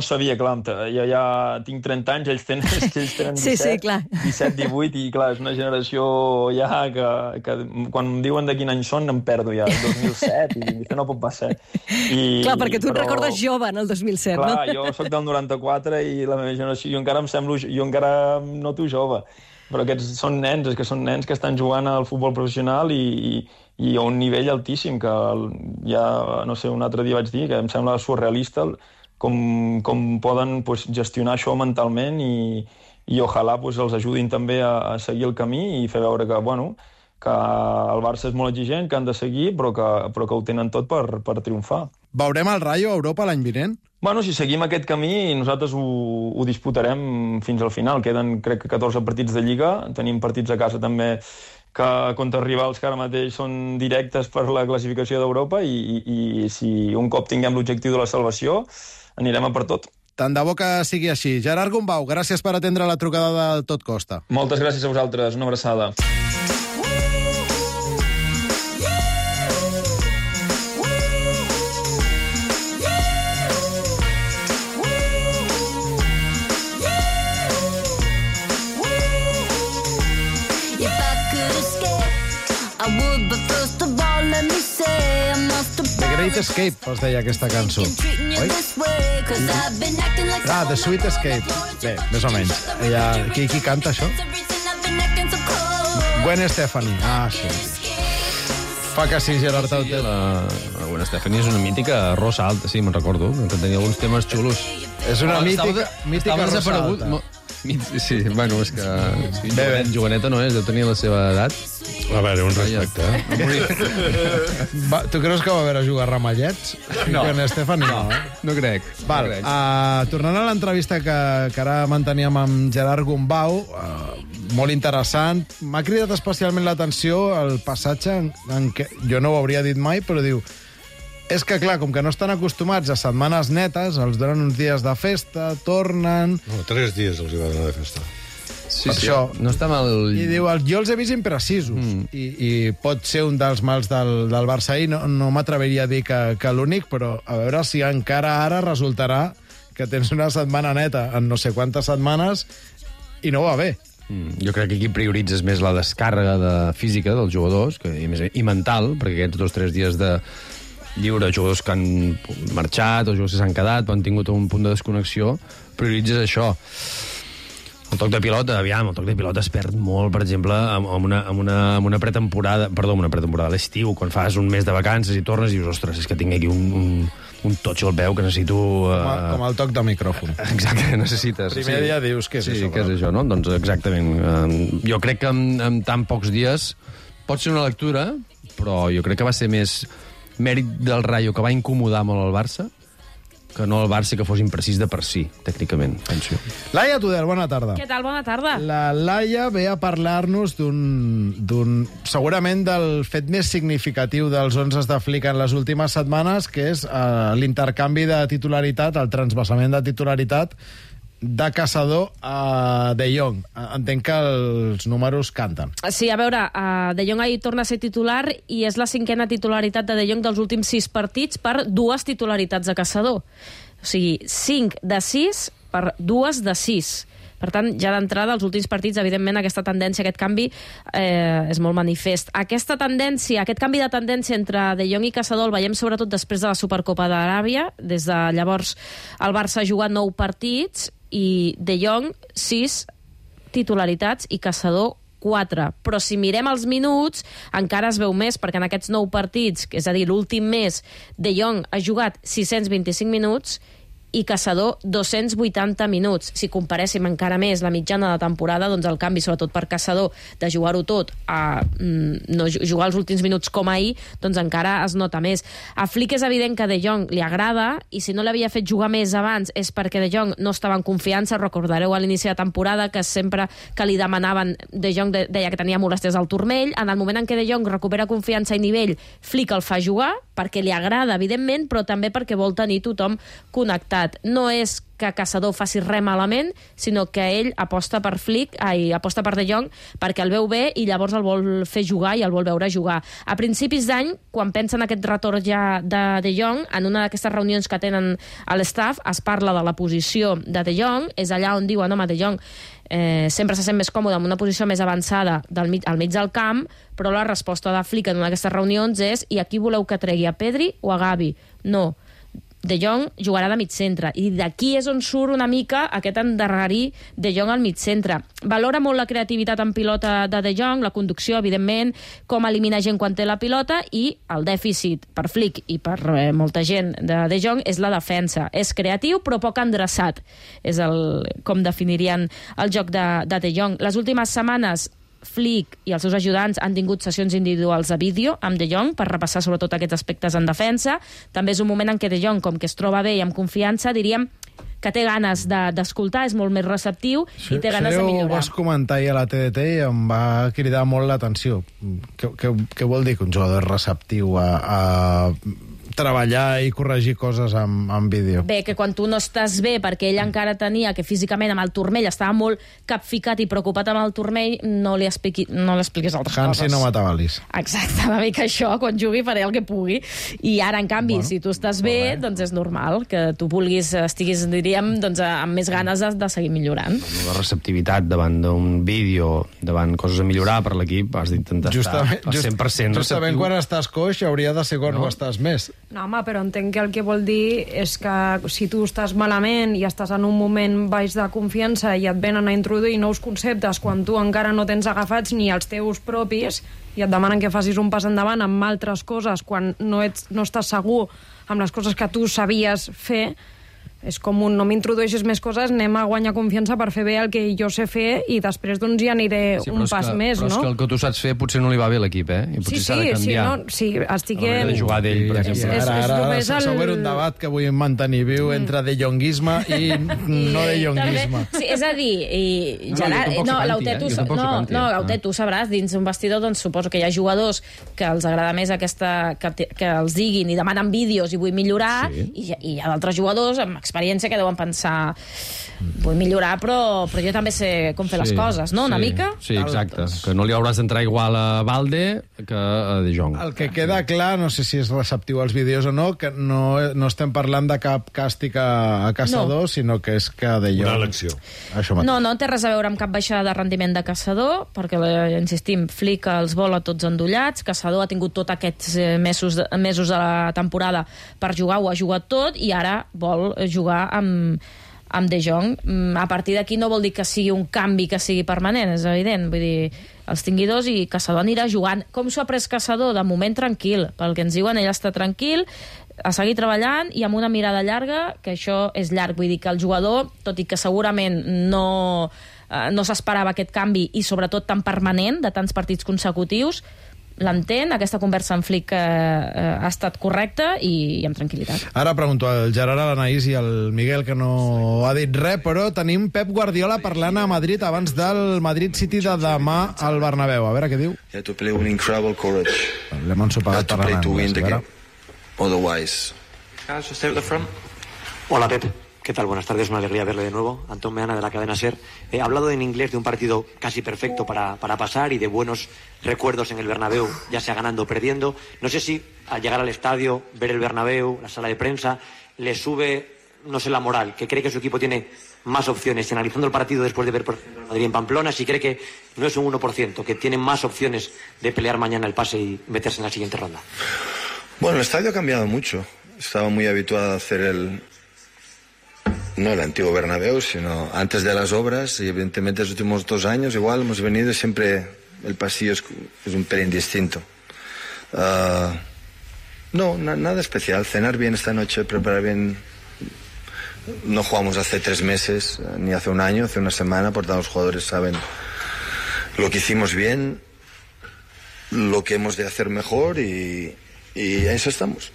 sabia, clar, jo ja tinc 30 anys, ells tenen 17, sí, clar. 17, 18, i clar, és una generació ja que quan em diuen de quin any són em perdo ja, el 2007, i això no pot passar. Clar, perquè tu et recordes jove en el 2007, no? Clar, jo soc del 94 i la meva generació, jo encara em noto jove, però aquests són nens, que estan jugant al futbol professional i a un nivell altíssim, que ja, no sé, un altre dia vaig dir, que em sembla surrealista com poden gestionar això mentalment i ojalà els ajudin també a seguir el camí i fer veure que el Barça és molt exigent, que han de seguir, però que ho tenen tot per triomfar. Veurem el Rayo a Europa l'any vinent? Si seguim aquest camí, nosaltres ho disputarem fins al final. Queden, crec que 14 partits de Lliga, tenim partits a casa també que contra rivals que ara mateix són directes per la classificació d'Europa i si un cop tinguem l'objectiu de la salvació, anirem a per tot. Tant de bo que sigui així. Gerard Gombau, gràcies per atendre la trucada del Tot Costa. Moltes gràcies a vosaltres, una abraçada. The Great Escape, es deia aquesta cançó. Oi? The Sweet Escape. Bé, més o menys. Qui canta això? Gwen Stefani. Sí. Fa que sí, Gerard Tauter. La Gwen Stefani és una mítica rosa alta, sí, me'n recordo, que tenia alguns temes xulos. És una mítica rosa alta. Sí, és que joveneta no és, deu tenir la seva edat. A veure, un respecte. Tu creus que va haver a jugar a Ramallets? No. No crec. Tornant a l'entrevista que ara manteníem amb Gerard Gombau, molt interessant, m'ha cridat especialment l'atenció el passatge en què, jo no ho hauria dit mai, però diu, és que, clar, com que no estan acostumats a setmanes netes, els donen uns dies de festa, tornen... No, 3 dies els hi va donar de festa. Sí, això. No està mal... I diu, jo els he vist imprecisos. I pot ser un dels mals del Barça ahir. No m'atreviria a dir que l'únic, però a veure si encara ara resultarà que tens una setmana neta en no sé quantes setmanes i no va bé. Jo crec que aquí prioritzes més la descàrrega física dels jugadors i mental, perquè aquests 2 o 3 dies de lliure, jugadors que han marxat o jugadors que s'han quedat o han tingut un punt de desconnexió, prioritzes això. El toc de pilota, el toc de pilota es perd molt, per exemple, amb una pretemporada, a l'estiu, quan fas un mes de vacances i tornes i dius, ostres, és que tinc aquí un totxo al peu que necessito... Com el toc de micròfon. Exacte, necessites. Primer dia dius, què és això? Sí, què és això, no? Doncs exactament. Jo crec que en tan pocs dies pot ser una lectura, però jo crec que va ser més mèrit del Rayo, que va incomodar molt el Barça, que no el Barça que fos imprecís de per si, tècnicament, penso. Laia Tudel, bona tarda. Què tal, bona tarda. La Laia ve a parlar-nos segurament del fet més significatiu dels 11 de Flick en les últimes setmanes, que és l'intercanvi de titularitat, el transvasament de titularitat de Caçador a De Jong. Entenc que els números canten. Sí, a veure, De Jong ahir torna a ser titular i és la 5a titularitat de Jong dels últims 6 partits per 2 titularitats de Caçador. O sigui, 5 de 6 per 2 de 6. Per tant, ja d'entrada, als últims partits, evidentment, aquesta tendència, aquest canvi és molt manifest. Aquesta tendència, aquest canvi de tendència entre De Jong i Caçador el veiem sobretot després de la Supercopa d'Aràbia. Des de llavors el Barça ha jugat 9 partits i De Jong 6 titularitats i Caçador 4. Però si mirem els minuts, encara es veu més, perquè en aquests 9 partits, és a dir, l'últim mes, De Jong ha jugat 625 minuts i Caçador 280 minuts. Si comparéssim encara més la mitjana de temporada, doncs el canvi, sobretot per Caçador, de jugar-ho tot a no jugar els últims minuts com ahir, doncs encara es nota més. A Flick és evident que De Jong li agrada, i si no l'havia fet jugar més abans és perquè De Jong no estava en confiança. Recordareu a l'inici de temporada que sempre que li demanaven, De Jong deia que tenia molèsties al turmell. En el moment en què De Jong recupera confiança i nivell, Flick el fa jugar, perquè li agrada, evidentment, però també perquè vol tenir tothom connectat. No és que Caçador faci res malament, sinó que ell aposta per aposta per De Jong perquè el veu bé i llavors el vol fer jugar i el vol veure jugar. A principis d'any, quan pensen aquest retorn ja de Jong, en una d'aquestes reunions que tenen a l'staff, es parla de la posició de De Jong, és allà on diuen, home, De Jong sempre se sent més còmode en una posició més avançada al mig del camp, però la resposta de Flick en una d'aquestes reunions és: i aquí voleu que tregui a Pedri o a Gavi? No. De Jong jugarà de mig centre, i d'aquí és on surt una mica aquest endarrerir De Jong al mig centre. Valora molt la creativitat en pilota de Jong, la conducció, evidentment, com elimina gent quan té la pilota, i el dèficit per Flick i per molta gent de Jong és la defensa. És creatiu però poc endreçat, és com definirien el joc de Jong. Les últimes setmanes Flick i els seus ajudants han tingut sessions individuals de vídeo amb De Jong per repassar sobretot aquests aspectes en defensa. També és un moment en què De Jong, com que es troba bé i amb confiança, diríem que té ganes d'escoltar, és molt més receptiu i té ganes de millorar. Ho vas comentar ahir a la TDT i em va cridar molt l'atenció. Què vol dir que un jugador és receptiu a treballar i corregir coses en vídeo? Bé, que quan tu no estàs bé, perquè ell encara tenia que físicament amb el turmell estava molt capficat i preocupat amb el turmell, no li expliquis altres coses. Hansi no m'atabalis. Exacte, una mica això, quan jugui faré el que pugui. I ara, en canvi, si tu estàs bé, doncs és normal que tu estiguis, diríem, doncs, amb més ganes de seguir millorant. La receptivitat davant d'un vídeo, davant coses a millorar per l'equip, has d'intentar estar al 100% receptiu. Justament quan estàs coix hauria de ser quan ho estàs més. No, home, però entenc que el que vol dir és que si tu estàs malament i estàs en un moment baix de confiança i et venen a introduir nous conceptes quan tu encara no tens agafats ni els teus propis i et demanen que facis un pas endavant amb altres coses quan no estàs segur amb les coses que tu sabies fer, és com no m'introdueixis més coses, anem a guanyar confiança per fer bé el que jo sé fer i després doncs ja aniré un pas més, no? Però és que el que tu saps fer potser no li va bé a l'equip, I potser s'ha de canviar. Sí, estic... A la de jugar d'ell, per exemple. Ara següent un debat que vull mantenir viu entre de jonguisme i no de jonguisme. Sí, és a dir, Gerard... Lautet, tu sabràs, dins un vestidor, doncs suposo que hi ha jugadors que els agrada més que els diguin i demanen vídeos i vull millorar, i hi ha d'altres jugadors amb experiència que deuen pensar vull millorar, però jo també sé com fer les coses, no? Una mica? Sí, exacte. Que no li hauràs d'entrar igual a Balde que a De Jong. El que queda clar, no sé si és receptiu als vídeos o no, que no estem parlant de cap càstig a Caçador, sinó que és que De Jong... Una elecció. No té res a veure amb cap baixada de rendiment de Caçador, perquè, insistim, Flick els vol a tots endollats. Caçador ha tingut tots aquests mesos de la temporada per jugar, ho ha jugat tot, i ara vol jugar amb De Jong. A partir d'aquí no vol dir que sigui un canvi que sigui permanent, és evident. Vull dir, els tingui dos i Caçador anirà jugant. Com s'ho ha pres Caçador? De moment tranquil. Pel que ens diuen, ell està tranquil, a seguir treballant i amb una mirada llarga, que això és llarg. Vull dir que el jugador, tot i que segurament no s'esperava aquest canvi i sobretot tan permanent, de tants partits consecutius, l'entén, aquesta conversa amb Flick ha estat correcta i amb tranquil·litat. Ara pregunto al Gerard, a l'Anaïs i al Miguel, que no ha dit res, però tenim Pep Guardiola parlant a Madrid abans del Madrid City de demà al Bernabéu. A veure què diu. You have to play with incredible courage. L'hem ensopegat per l'anglès. Otherwise... Guys, just out the front. Hola, Pep. ¿Qué tal? Buenas tardes, una alegría verle de nuevo. Antón Meana, de la cadena SER. He hablado en inglés de un partido casi perfecto para pasar y de buenos recuerdos en el Bernabéu, ya sea ganando o perdiendo. No sé si al llegar al estadio, ver el Bernabéu, la sala de prensa, le sube, no sé, la moral, que cree que su equipo tiene más opciones. Analizando el partido después de ver, por ejemplo, Madrid en Pamplona, si cree que no es un 1%, que tiene más opciones de pelear mañana el pase y meterse en la siguiente ronda. Bueno, el estadio ha cambiado mucho. Estaba muy habituado a hacer no el antiguo Bernabéu, sino antes de las obras, y evidentemente los últimos 2 años igual hemos venido y siempre el pasillo es un pelín distinto. No, nada especial. Cenar bien esta noche, preparar bien. No jugamos hace 3 meses, ni hace un año, hace una semana, por tanto los jugadores saben lo que hicimos bien, lo que hemos de hacer mejor y a eso estamos.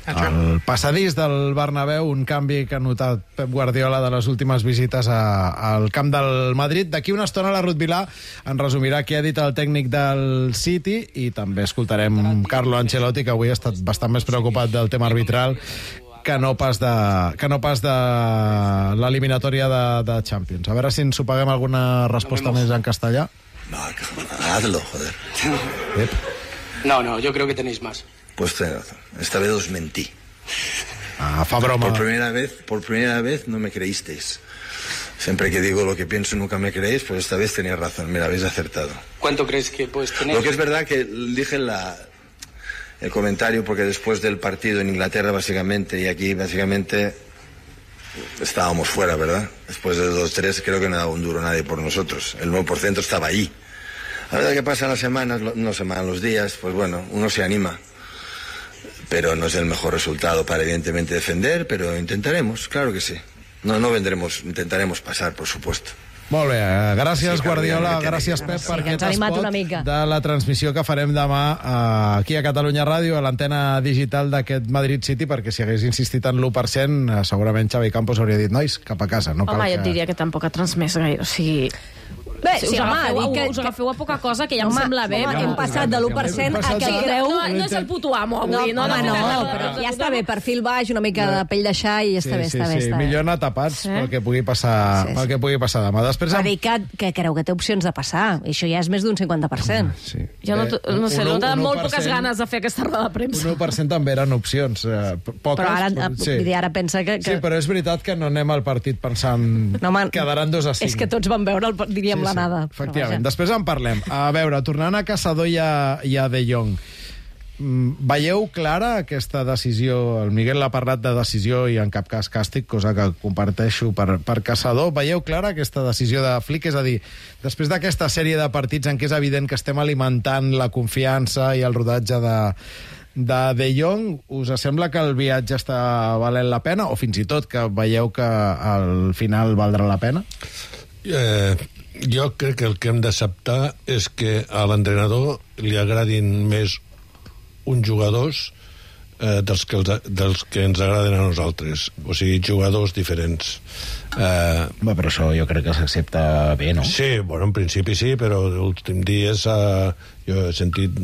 El passadís del Bernabéu, un canvi que ha notat Pep Guardiola de les últimes visites al camp del Madrid. D'aquí una estona la Ruth Vilà en resumirà què ha dit el tècnic del City i també escoltarem Carlo Ancelotti, que avui ha estat bastant més preocupat del tema arbitral que no pas de l'eliminatòria de Champions. A veure si ens ho paguem alguna resposta més en castellà. No, hazlo, joder. No, yo creo que tenéis más. Pues tenés razón. Esta vez os mentí. Fa broma. Por primera vez no me creísteis. Siempre que digo lo que pienso nunca me creéis, pues esta vez tenías razón. Mira, habéis acertado. ¿Cuánto crees que puedes tener? Lo que es verdad que dije el comentario porque después del partido en Inglaterra básicamente y aquí básicamente estábamos fuera, ¿verdad? Después de 2-3 creo que no daba un duro nadie por nosotros. El 9% estaba allí. La verdad que pasan las semanas, los días, pues bueno, uno se anima. Pero no es el mejor resultado para evidentemente defender, pero intentaremos, claro que sí. No vendremos, intentaremos pasar, por supuesto. Molt bé, gràcies Guardiola, gràcies Pep per aquest spot de la transmissió que farem demà aquí a Catalunya Ràdio, a l'antena digital d'aquest Madrid City, perquè si hagués insistit en l'1%, segurament Xavi Campos hauria dit, nois, cap a casa. No cal jo et diria que tampoc ha transmès gaire, o sigui... Bé, us agafeu a poca cosa, que ja em sembla bé. Hem passat de l'1% a que creu... No és el puto amo, avui. No, però ja està bé, perfil baix, una mica de pell de xai, i està bé, està bé. Millor anar tapats pel que pugui passar demà. Va dir que creu que té opcions de passar, i això ja és més d'un 50%. Jo no sé, no té molt poques ganes de fer aquesta roda de premsa. Un 1% també eren opcions, poques. Però ara pensa que... Sí, però és veritat que no anem al partit pensant quedaran 2-5. És que tots van veure, diríem, l'anada. Efectivament. Després en parlem. A veure, tornant a Caçador i a De Jong, veieu clara aquesta decisió? El Miguel l'ha parlat de decisió i en cap cas càstig, cosa que comparteixo per Caçador. Veieu clara aquesta decisió de Flick? És a dir, després d'aquesta sèrie de partits en què és evident que estem alimentant la confiança i el rodatge de Jong, us sembla que el viatge està valent la pena? O fins i tot que veieu que al final valdrà la pena? Jo crec que el que hem d'acceptar és que a l'entrenador li agradin més uns jugadors dels que ens agraden a nosaltres, o sigui, jugadors diferents. Però això jo crec que s'accepta bé, no? Sí, bueno, en principi sí, però els últims dies jo he sentit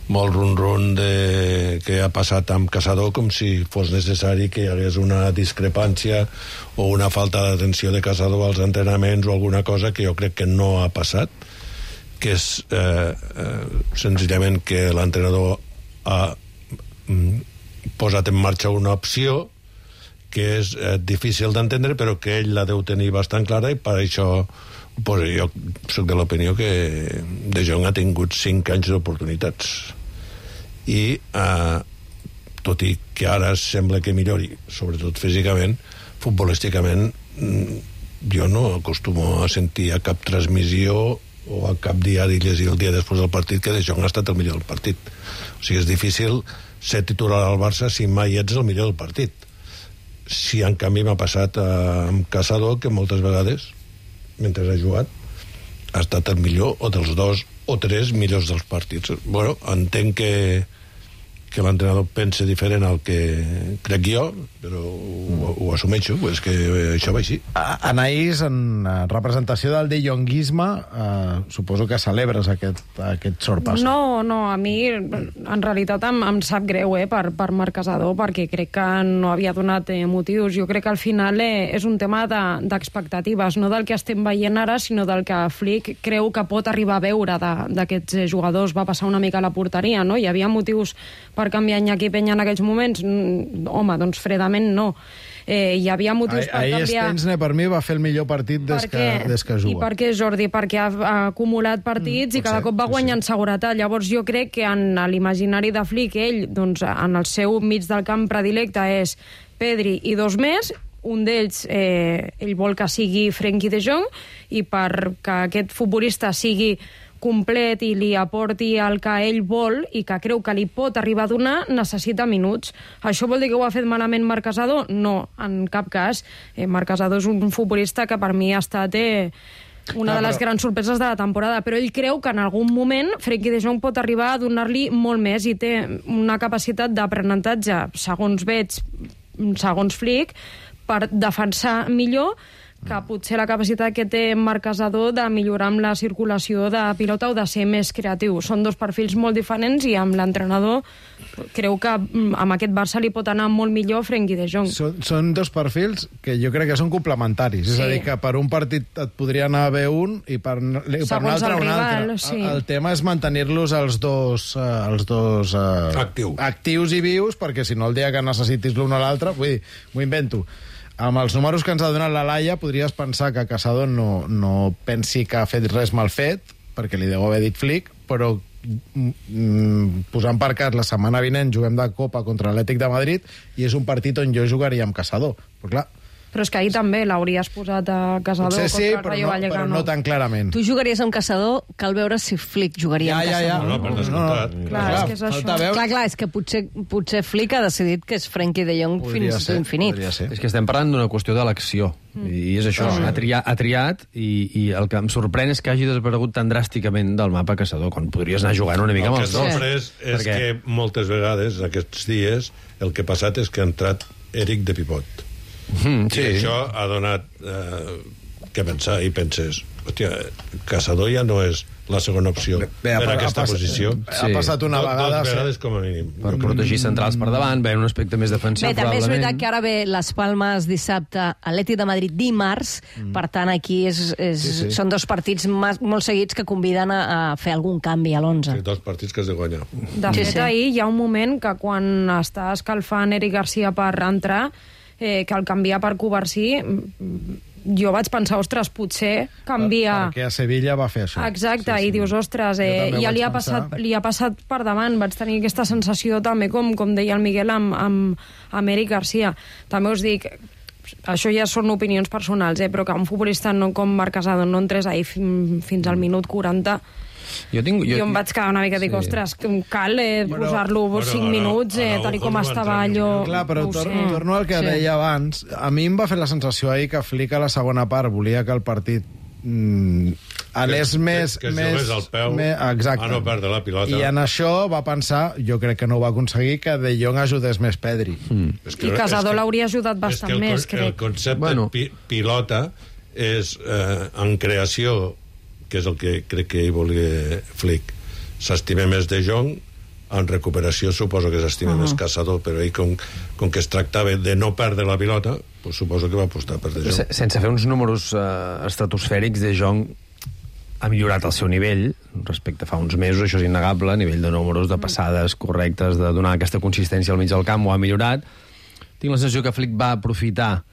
molt ron-ron de què ha passat amb Caçador, com si fos necessari que hi hagués una discrepància o una falta d'atenció de Caçador als entrenaments o alguna cosa que jo crec que no ha passat, que és senzillament que l'entrenador ha posat en marxa una opció que és difícil d'entendre, però que ell la deu tenir bastant clara, i per això jo soc de l'opinió que De Jong ha tingut 5 anys d'oportunitats. I tot i que ara sembla que millori, sobretot físicament, futbolísticament jo no acostumo a sentir a cap transmissió o a cap diari llegir el dia després del partit que De Jong ha estat el millor del partit. O sigui, és difícil ser titular al Barça si mai ets el millor del partit. Si en canvi m'ha passat amb Caçador, que moltes vegades mentre ha jugat ha estat el millor o dels 2 o 3 millors dels partits. Bueno, entenc que l'entrenador pense diferent al que crec jo, però ho assumeixo, és que això va així. Anaïs, en representació del de Jonguisme, suposo que celebres aquest sorpasso. No, a mi en realitat em sap greu per Marc Casador, perquè crec que no havia donat motius. Jo crec que al final és un tema d'expectatives, no del que estem veient ara, sinó del que Flick creu que pot arribar a veure d'aquests jugadors. Va passar una mica a la porteria, no? Hi havia motius per canviar Iñaki Peña en aquells moments? Home, doncs fredament no. Hi havia motius per canviar... Ahir Stensne, per mi, va fer el millor partit des que juga. I per què, Jordi? Perquè ha acumulat partits i cada cop va guanyant seguretat. Llavors jo crec que en l'imaginari de Flick, ell, doncs, en el seu mig del camp predilecte és Pedri i dos més. Un d'ells, ell vol que sigui Frenkie de Jong, i perquè aquest futbolista sigui complet i li aporti el que ell vol i que creu que li pot arribar a donar, necessita minuts. Això vol dir que ho ha fet malament Marc Casador? No, en cap cas. Marc Casador és un futbolista que per mi ha estat una de les grans sorpreses de la temporada, però ell creu que en algun moment Frenkie de Jong pot arribar a donar-li molt més i té una capacitat d'aprenentatge, segons veig, segons Flick, per defensar millor, que potser la capacitat que té Marc Casador de millorar amb la circulació de pilota o de ser més creatiu. Són dos perfils molt diferents i amb l'entrenador creu que amb aquest Barça li pot anar molt millor Frenkie de Jong. Són dos perfils que jo crec que són complementaris. Sí. És a dir, que per un partit et podria anar bé un i per un altre un altre. Sí. El tema és mantenir-los els dos actius i vius, perquè si no el dia que necessitis l'un o l'altre, vull dir, m'ho invento. Amb els números que ens ha donat la Laia, podries pensar que Casador no pensi que ha fet res mal fet, perquè li deu haver dit Flick, però posant per cas la setmana vinent juguem de Copa contra l'Atlètic de Madrid i és un partit on jo jugaria amb Casador. Però clar, però és que ahir també l'hauries posat a Casador contra el Rayo Vallecano. Però no tan clarament. Tu jugaries amb Casador, cal veure si Flick jugaria amb Casador. No, per descomptat. Clar, és que és això. Clar, és que potser Flick ha decidit que és Frenkie de Jong fins a l'infinit. És que estem parlant d'una qüestió d'elecció. I és això, ha triat i el que em sorprèn és que hagi desaparegut tan dràsticament del mapa Casador, quan podries anar jugant una mica amb els dos. El que és sorprès és que moltes vegades, aquests dies, el que ha passat és que ha entrat Eric de pivot. Sí. I això ha donat que pensar, i penses, hòstia, Casador ja no és la segona opció per aquesta posició. Ha passat una vegada... Dos vegades com a mínim. Per protegir centrals per davant, ve un aspecte més defensiu, probablement. També és veritat que ara ve les Palmes dissabte, Atlètic de Madrid dimarts, per tant aquí són dos partits molt seguits que conviden a fer algun canvi a l'11. Sí, dos partits que has de guanyar. De fet, ahir hi ha un moment que quan està escalfant Eric Garcia per entrar, que el canviar per Covarsí, jo vaig pensar, ostres, potser canvia... Perquè a Sevilla va fer això. Exacte, i dius, ostres, ja li ha passat per davant. Vaig tenir aquesta sensació també, com deia el Miguel, amb Eric Garcia. També us dic, això ja són opinions personals, però que un futbolista com Marc Casador no entrés ahir fins al minut 40... Jo em vaig quedar una mica, dic, ostres, cal posar-lo 5 minuts, tal com estava allò... Clar, però torno al que deia abans. A mi em va fer la sensació ahir que Flick a la segona part volia que el partit anés més... Que jugués al peu, a no perdre la pilota. I en això va pensar, jo crec que no ho va aconseguir, que De Jong ajudés més Pedri. I Casador l'hauria ajudat bastant més, crec. El concepte pilota és en creació, que és el que crec que hi volia Flick. S'estima més De Jong, en recuperació suposo que s'estima més Casador, però ell com que es tractava de no perdre la pilota, pues suposo que va apostar per De Jong. Sense fer uns números estratosfèrics, De Jong ha millorat el seu nivell respecte a fa uns mesos, això és innegable, a nivell de números, de passades correctes, de donar aquesta consistència al mig del camp, ho ha millorat. Tinc la sensació que Flick va aprofitar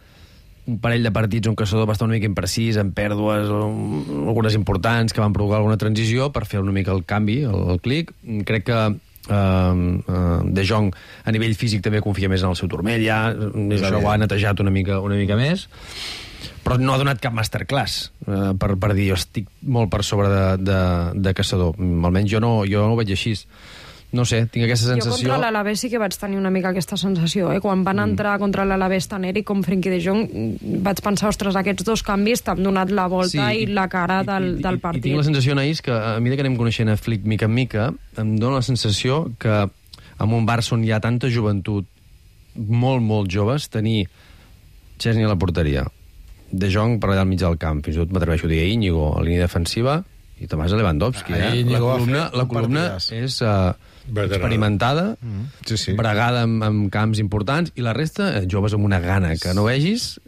un parell de partits on Casador va estar una mica imprecís, amb pèrdues, algunes importants, que van provocar alguna transició, per fer una mica el canvi, el clic. Crec que De Jong a nivell físic també confia més en el seu turmell, ja això ho ha netejat una mica més, però no ha donat cap masterclass per dir, jo estic molt per sobre de Casador. Almenys jo no ho veig així. No sé, tinc aquesta sensació... Jo contra l'Alavés sí que vaig tenir una mica aquesta sensació, Quan van entrar contra l'Alavés tant Eric com Frenkie de Jong, vaig pensar, ostres, aquests dos canvis t'han donat la volta i la cara del partit. I tinc la sensació, Anaïs, que a mesura que anem coneixent a Flick mica en mica, em dóna la sensació que amb un Barça on hi ha tanta joventut, molt, molt joves, tenir Chesney a la porteria, De Jong per allà al mig del camp, fins i tot m'atreveixo a dir Íñigo a la línia defensiva, i Tomàs Lewandowski. La columna és experimentada, bregada amb camps importants, i la resta, joves amb una gana que no vegis.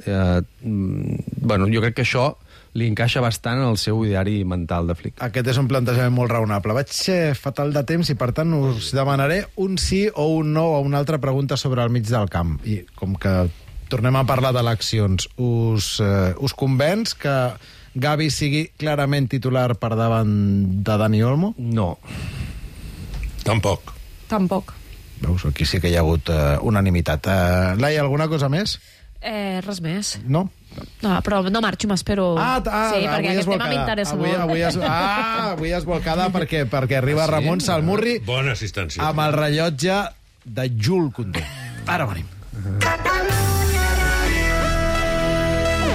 Bueno, jo crec que això li encaixa bastant en el seu ideari mental de Flick. Aquest és un plantejament molt raonable. Vaig ser fatal de temps i, per tant, us demanaré un sí o un no a una altra pregunta sobre el mig del camp. I com que tornem a parlar d'eleccions, us convenç que Gavi sigui clarament titular per davant de Dani Olmo? No. Tampoc. Veus, aquí sí que hi ha hagut unanimitat. Laia, alguna cosa més? Res més. No? No, però no marxo, m'espero... Sí, perquè aquest tema m'interessa molt. Avui es volcada perquè arriba Ramon Salmurri bona assistència amb el rellotge de Jules Koundé. Ara venim.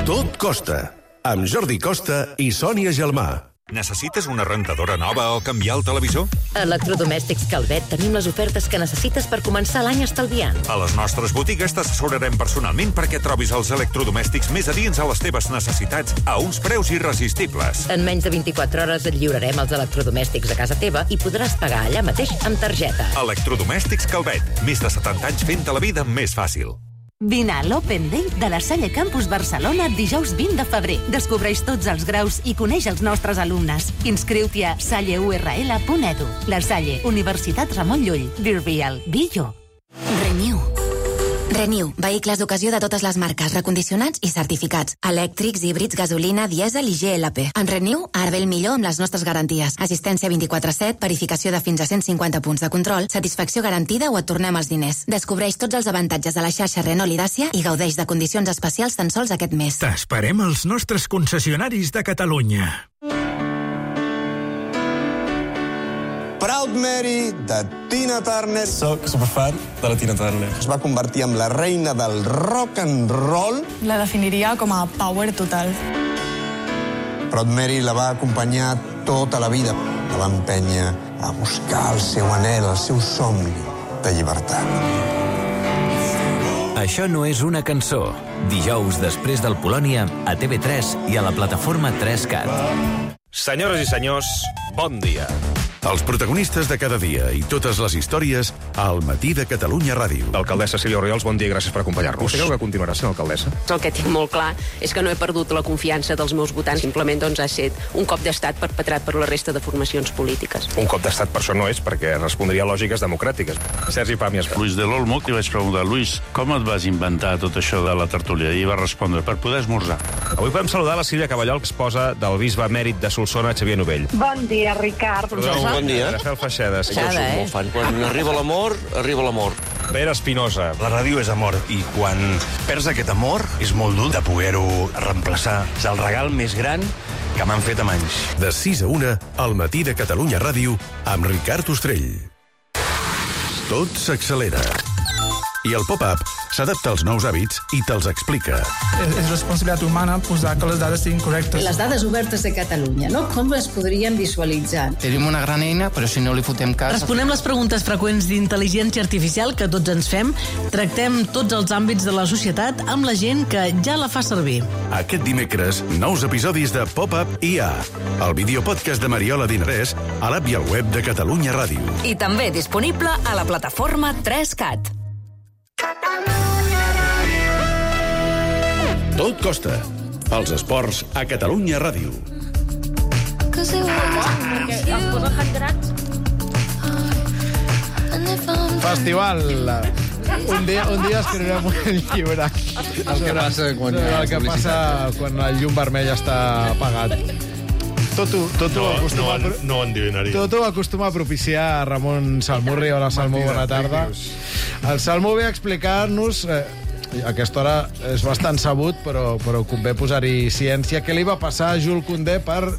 Tot costa, amb Jordi Costa i Sònia Gelmà. Necessites una rentadora nova o canviar el televisor? A Electrodomèstics Calvet tenim les ofertes que necessites per començar l'any estalviant. A les nostres botigues t'assessorarem personalment perquè trobis els electrodomèstics més adients a les teves necessitats a uns preus irresistibles. En menys de 24 hores et lliurarem els electrodomèstics a casa teva i podràs pagar allà mateix amb targeta. Electrodomèstics Calvet. Més de 70 anys fent-te la vida més fàcil. Vine a l'Open Day de la Salle Campus Barcelona dijous 20 de febrer. Descobreix tots els graus i coneix els nostres alumnes. Inscriu-t'hi a salleurl.edu. La Salle, Universitat Ramon Llull. Be real, be you. Renew, vehicles d'ocasió de totes les marques, recondicionats i certificats. Elèctrics, híbrids, gasolina, dièsel i GLP. En Renew, ara ve el millor amb les nostres garanties. Assistència 24/7, verificació de fins a 150 punts de control, satisfacció garantida o et tornem els diners. Descobreix tots els avantatges de la xarxa Renault i Dacia i gaudeix de condicions especials tan sols aquest mes. T'esperem als nostres concessionaris de Catalunya. Proud Mary, de Tina Turner. Soc superfan de la Tina Turner. Es va convertir en la reina del rock and roll. La definiria com a power total. Proud Mary la va acompanyar tota la vida. La va empènyer a buscar el seu anhel, el seu somni de llibertat. Això no és una cançó. Dijous després del Polònia, a TV3 i a la plataforma 3CAT. Senyores i senyors, bon dia. Els protagonistes de cada dia i totes les històries al Matí de Catalunya Ràdio. L'alcaldessa Sílvia Oriols, bon dia i gràcies per acompanyar-nos. Vostè creu que continuarà sent alcaldessa? El que tinc molt clar és que no he perdut la confiança dels meus votants. Simplement ha estat un cop d'estat perpetrat per la resta de formacions polítiques. Un cop d'estat per això no és, perquè respondria a lògiques democràtiques. Sergi Pàmies. Luis de l'Olmo, que vaig preguntar, Luis, com et vas inventar tot això de la tertúlia? I va respondre, per poder esmorzar. Avui podem saludar la Sílvia Caballol, esposa del bisbe emèrit de Solsona, Xavier Novell. Bon dia, Ricard. Bon dia. Rafael Feixeda. Jo soc molt fan. Quan arriba l'amor, arriba l'amor. Pere Espinosa. La ràdio és amor, i quan perds aquest amor és molt dur de poder-ho reemplaçar. És el regal més gran que m'han fet en anys. De 6 a 1, al Matí de Catalunya Ràdio, amb Ricard Ostrell. Tot s'accelera. I el pop-up s'adapta als nous hàbits i te'ls explica. És responsabilitat humana posar que les dades siguin correctes. Les dades obertes de Catalunya, no? Com es podrien visualitzar? Tenim una gran eina, però si no li fotem cas... Responem les preguntes freqüents d'intel·ligència artificial que tots ens fem. Tractem tots els àmbits de la societat amb la gent que ja la fa servir. Aquest dimecres, nous episodis de Pop-up IA, el videopodcast de Mariola Dinarès, a l'app i al web de Catalunya Ràdio. I també disponible a la plataforma 3CAT. Tot costa. Els esports a Catalunya Ràdio. Festival. Un dia escriurem un llibre. El que passa quan el llum vermell està apagat. No ho endevinaria. Tot ho acostuma a propiciar Ramon Salmurri. Hola, Salmó, bona tarda. El Salmó ve a explicar-nos... A aquesta hora és bastant sabut, però convé posar-hi ciència. Què li va passar a Jules Koundé per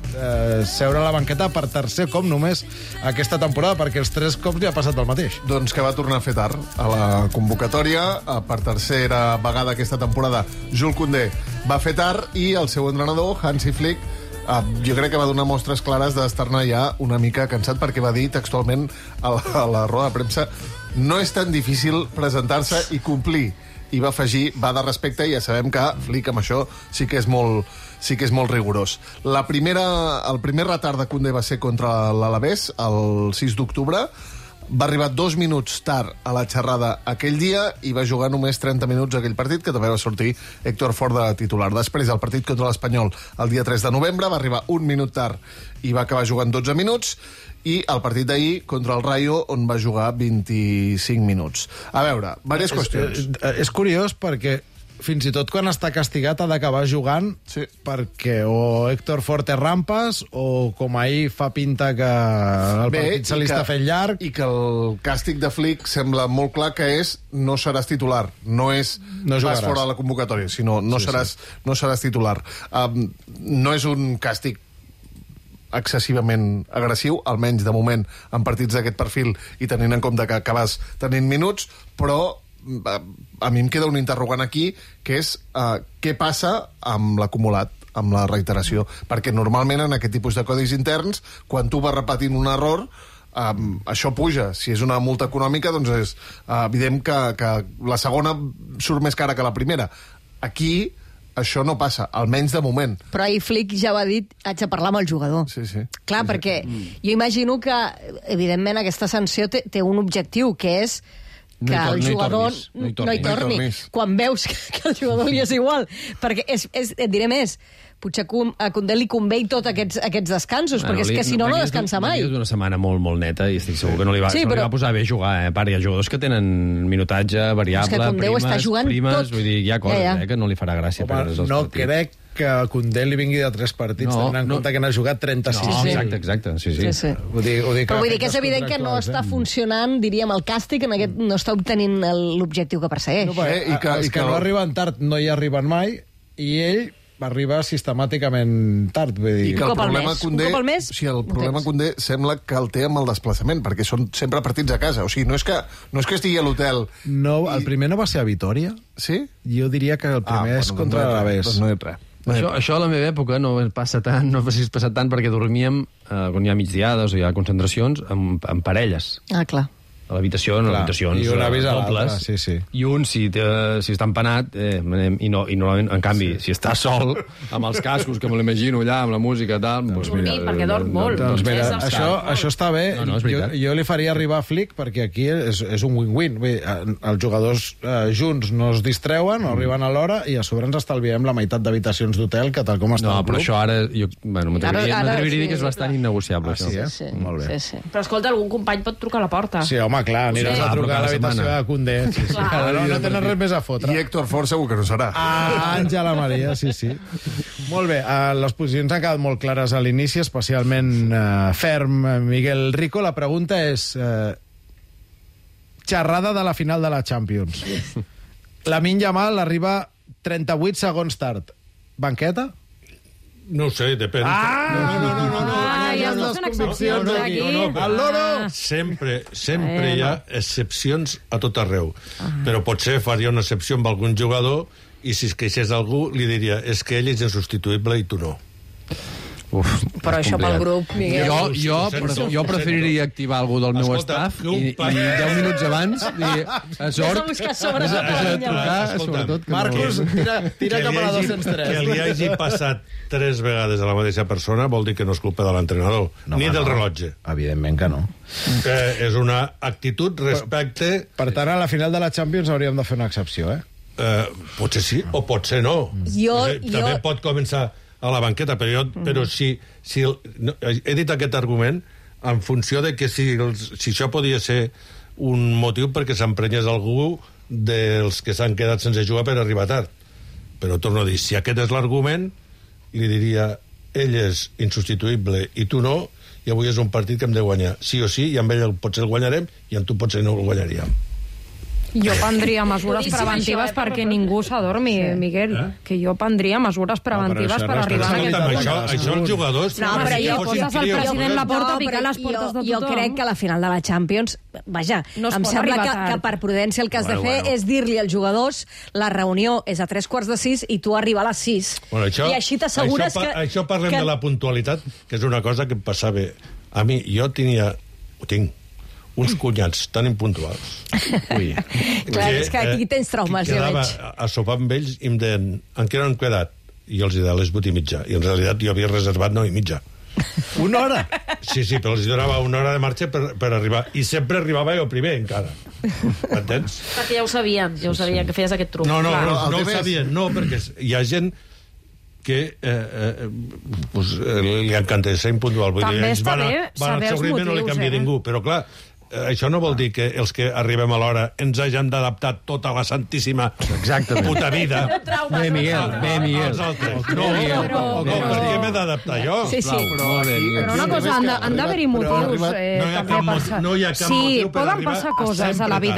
seure a la banqueta per tercer cop només aquesta temporada? Perquè els 3 cops li ha passat el mateix. Doncs que va tornar a fer tard a la convocatòria. Per tercera vegada aquesta temporada, Jules Koundé va fer tard i el seu entrenador, Hansi Flick, jo crec que va donar mostres clares d'estar-ne ja una mica cansat, perquè va dir textualment a la roda de premsa no és tan difícil presentar-se i complir. I va afegir, va de respecte, i ja sabem que Flick amb això sí que és molt rigorós. El primer retard de Koundé va ser contra l'Alavés, el 6 d'octubre. Va arribar 2 minuts tard a la xerrada aquell dia i va jugar només 30 minuts aquell partit, que també va sortir Héctor Fort de titular. Després, el partit contra l'Espanyol, el dia 3 de novembre, va arribar 1 minut tard i va acabar jugant 12 minuts, i el partit d'ahir contra el Rayo, on va jugar 25 minuts. A veure, diverses qüestions. És curiós perquè fins i tot quan està castigat ha d'acabar jugant, perquè o Héctor Fort té rampes o com ahir fa pinta que el partit se li està fent llarg. I que el càstig de Flick sembla molt clar que és no seràs titular. No és vas fora de la convocatòria, sinó no seràs titular. No és un càstig excessivament agressiu, almenys de moment en partits d'aquest perfil i tenint en compte que acabes tenint minuts, però a mi em queda un interrogant aquí, que és què passa amb l'acumulat, amb la reiteració, perquè normalment en aquest tipus de codis interns, quan tu vas repetint un error, això puja. Si és una multa econòmica, doncs és evident que la segona surt més cara que la primera. Aquí això no passa, almenys de moment. Però ahir Flick ja va dir, haig de parlar amb el jugador. Sí. Clar, perquè jo imagino que, evidentment, aquesta sanció té un objectiu, que és que el jugador no hi torni. Quan veus que el jugador li és igual. Perquè et diré més, potser a Koundé li convé tots aquests descansos, perquè és que si no descansa mai. És una setmana molt neta i estic segur que no li va posar bé jugar. A part, hi ha jugadors que tenen minutatge variable, primes, vull dir, hi ha coses que no li farà gràcia perdre's els partits. No crec que a Koundé li vingui de 3 partits, tenint en compte que n'ha jugat 36. Exacte. Sí. Però vull dir que és evident que no està funcionant, diríem, el càstig, no està obtenint l'objectiu que persegueix. Els que no arriben tard no hi arriben mai, i ell arriba sistemàticament tard. I que el problema Koundé sembla que el té amb el desplaçament, perquè són sempre partits a casa. O sigui, no és que estigui a l'hotel. No, el primer no va ser a Vitòria? Sí? Jo diria que el primer és contra l'Alavés. Doncs no hi ha res. Això a la meva època no passa tant, no ha passat tant perquè dormíem, quan hi ha migdiades o hi ha concentracions, en parelles. Ah, clar. A l'habitació, en habitacions i un avís a dobles. Sí. I un, si està empanat, i normalment, en canvi, si està sol, amb els cascos, que me l'imagino allà, amb la música, tal... Doncs mira, perquè dorm molt. Doncs mira, això està bé. Jo li faria arribar a Flick, perquè aquí és un win-win. Els jugadors junts no es distreuen, no arriben a l'hora, i a sobre ens estalviem la meitat d'habitacions d'hotel, que tal com està el club. No, però això ara... M'atreviria a dir que és bastant innegociable. Sí. Molt bé. Però escolta, algun company pot trucar a la porta. Sí, home, clar, aniràs a trucar a l'habitació de Koundé. No tenen res més a fotre. I Héctor Fort segur que no serà. Àngela Maria, sí. Molt bé, les posicions han quedat molt clares a l'inici, especialment ferm Miguel Rico. La pregunta és xerrada de la final de la Champions. Lamine Yamal arriba 38 segons tard. Banqueta? No ho sé, depèn. El loro! Sempre hi ha excepcions a tot arreu. Però potser faria una excepció amb algun jugador i si es queixés algú li diria és que ell és insubstituïble i tu no. Però això pel grup, Miguel. Jo preferiria activar algú del meu staff i 10 minuts abans dir sort, Marcos, tira cap a la 203. Que li hagi passat 3 vegades a la mateixa persona vol dir que no és culpa de l'entrenador, ni del rellotge. Evidentment que no. És una actitud respecte... Per tant, a la final de la Champions hauríem de fer una excepció, Potser sí, o potser no. També pot començar a la banqueta, però si he dit aquest argument en funció de que si això podia ser un motiu perquè s'emprenyés algú dels que s'han quedat sense jugar per arribar tard. Però torno a dir, si aquest és l'argument, li diria ell és insubstituïble i tu no, i avui és un partit que hem de guanyar. Sí o sí, i amb ell potser el guanyarem i amb tu potser no el guanyaríem. Jo prendria mesures preventives perquè ningú s'adormi, Miguel. Que jo prendria mesures preventives per arribar a aquest moment. Això els jugadors... No, però jo poses el president Laporta a picar les portes de tothom. Jo crec que a la final de la Champions, vaja, em sembla que per prudència el que has de fer és dir-li als jugadors la reunió és a 3:45 i tu arriba a les 6. I així t'assegures que... Això parlem de la puntualitat, que és una cosa que em passava... A mi, jo tinc uns cunyats tan impuntuals. Ui. Clar, és que aquí tens traumes, ja veig. Quedava a sopar amb ells i em deien, en què no han quedat? I jo els deia les 8:30. I en realitat jo havia reservat 9:30. Una hora? Sí, però els donava una hora de marxa per arribar. I sempre arribava jo primer, encara. M'entens? Perquè ja ho sabien que feies aquest truc. No ho sabien, no, perquè hi ha gent que li encanta ser impuntual. També està bé saber els motius. No li canvia ningú, però clar, això no vol dir que els que arribem a l'hora ens hagin d'adaptar tota la santíssima puta vida. Bé, Miguel. Els altres. No, per què m'he d'adaptar jo? Sí. Però una cosa, han d'haver-hi motius també per... No hi ha cap motiu per arribar... Sí, poden passar coses a la vida.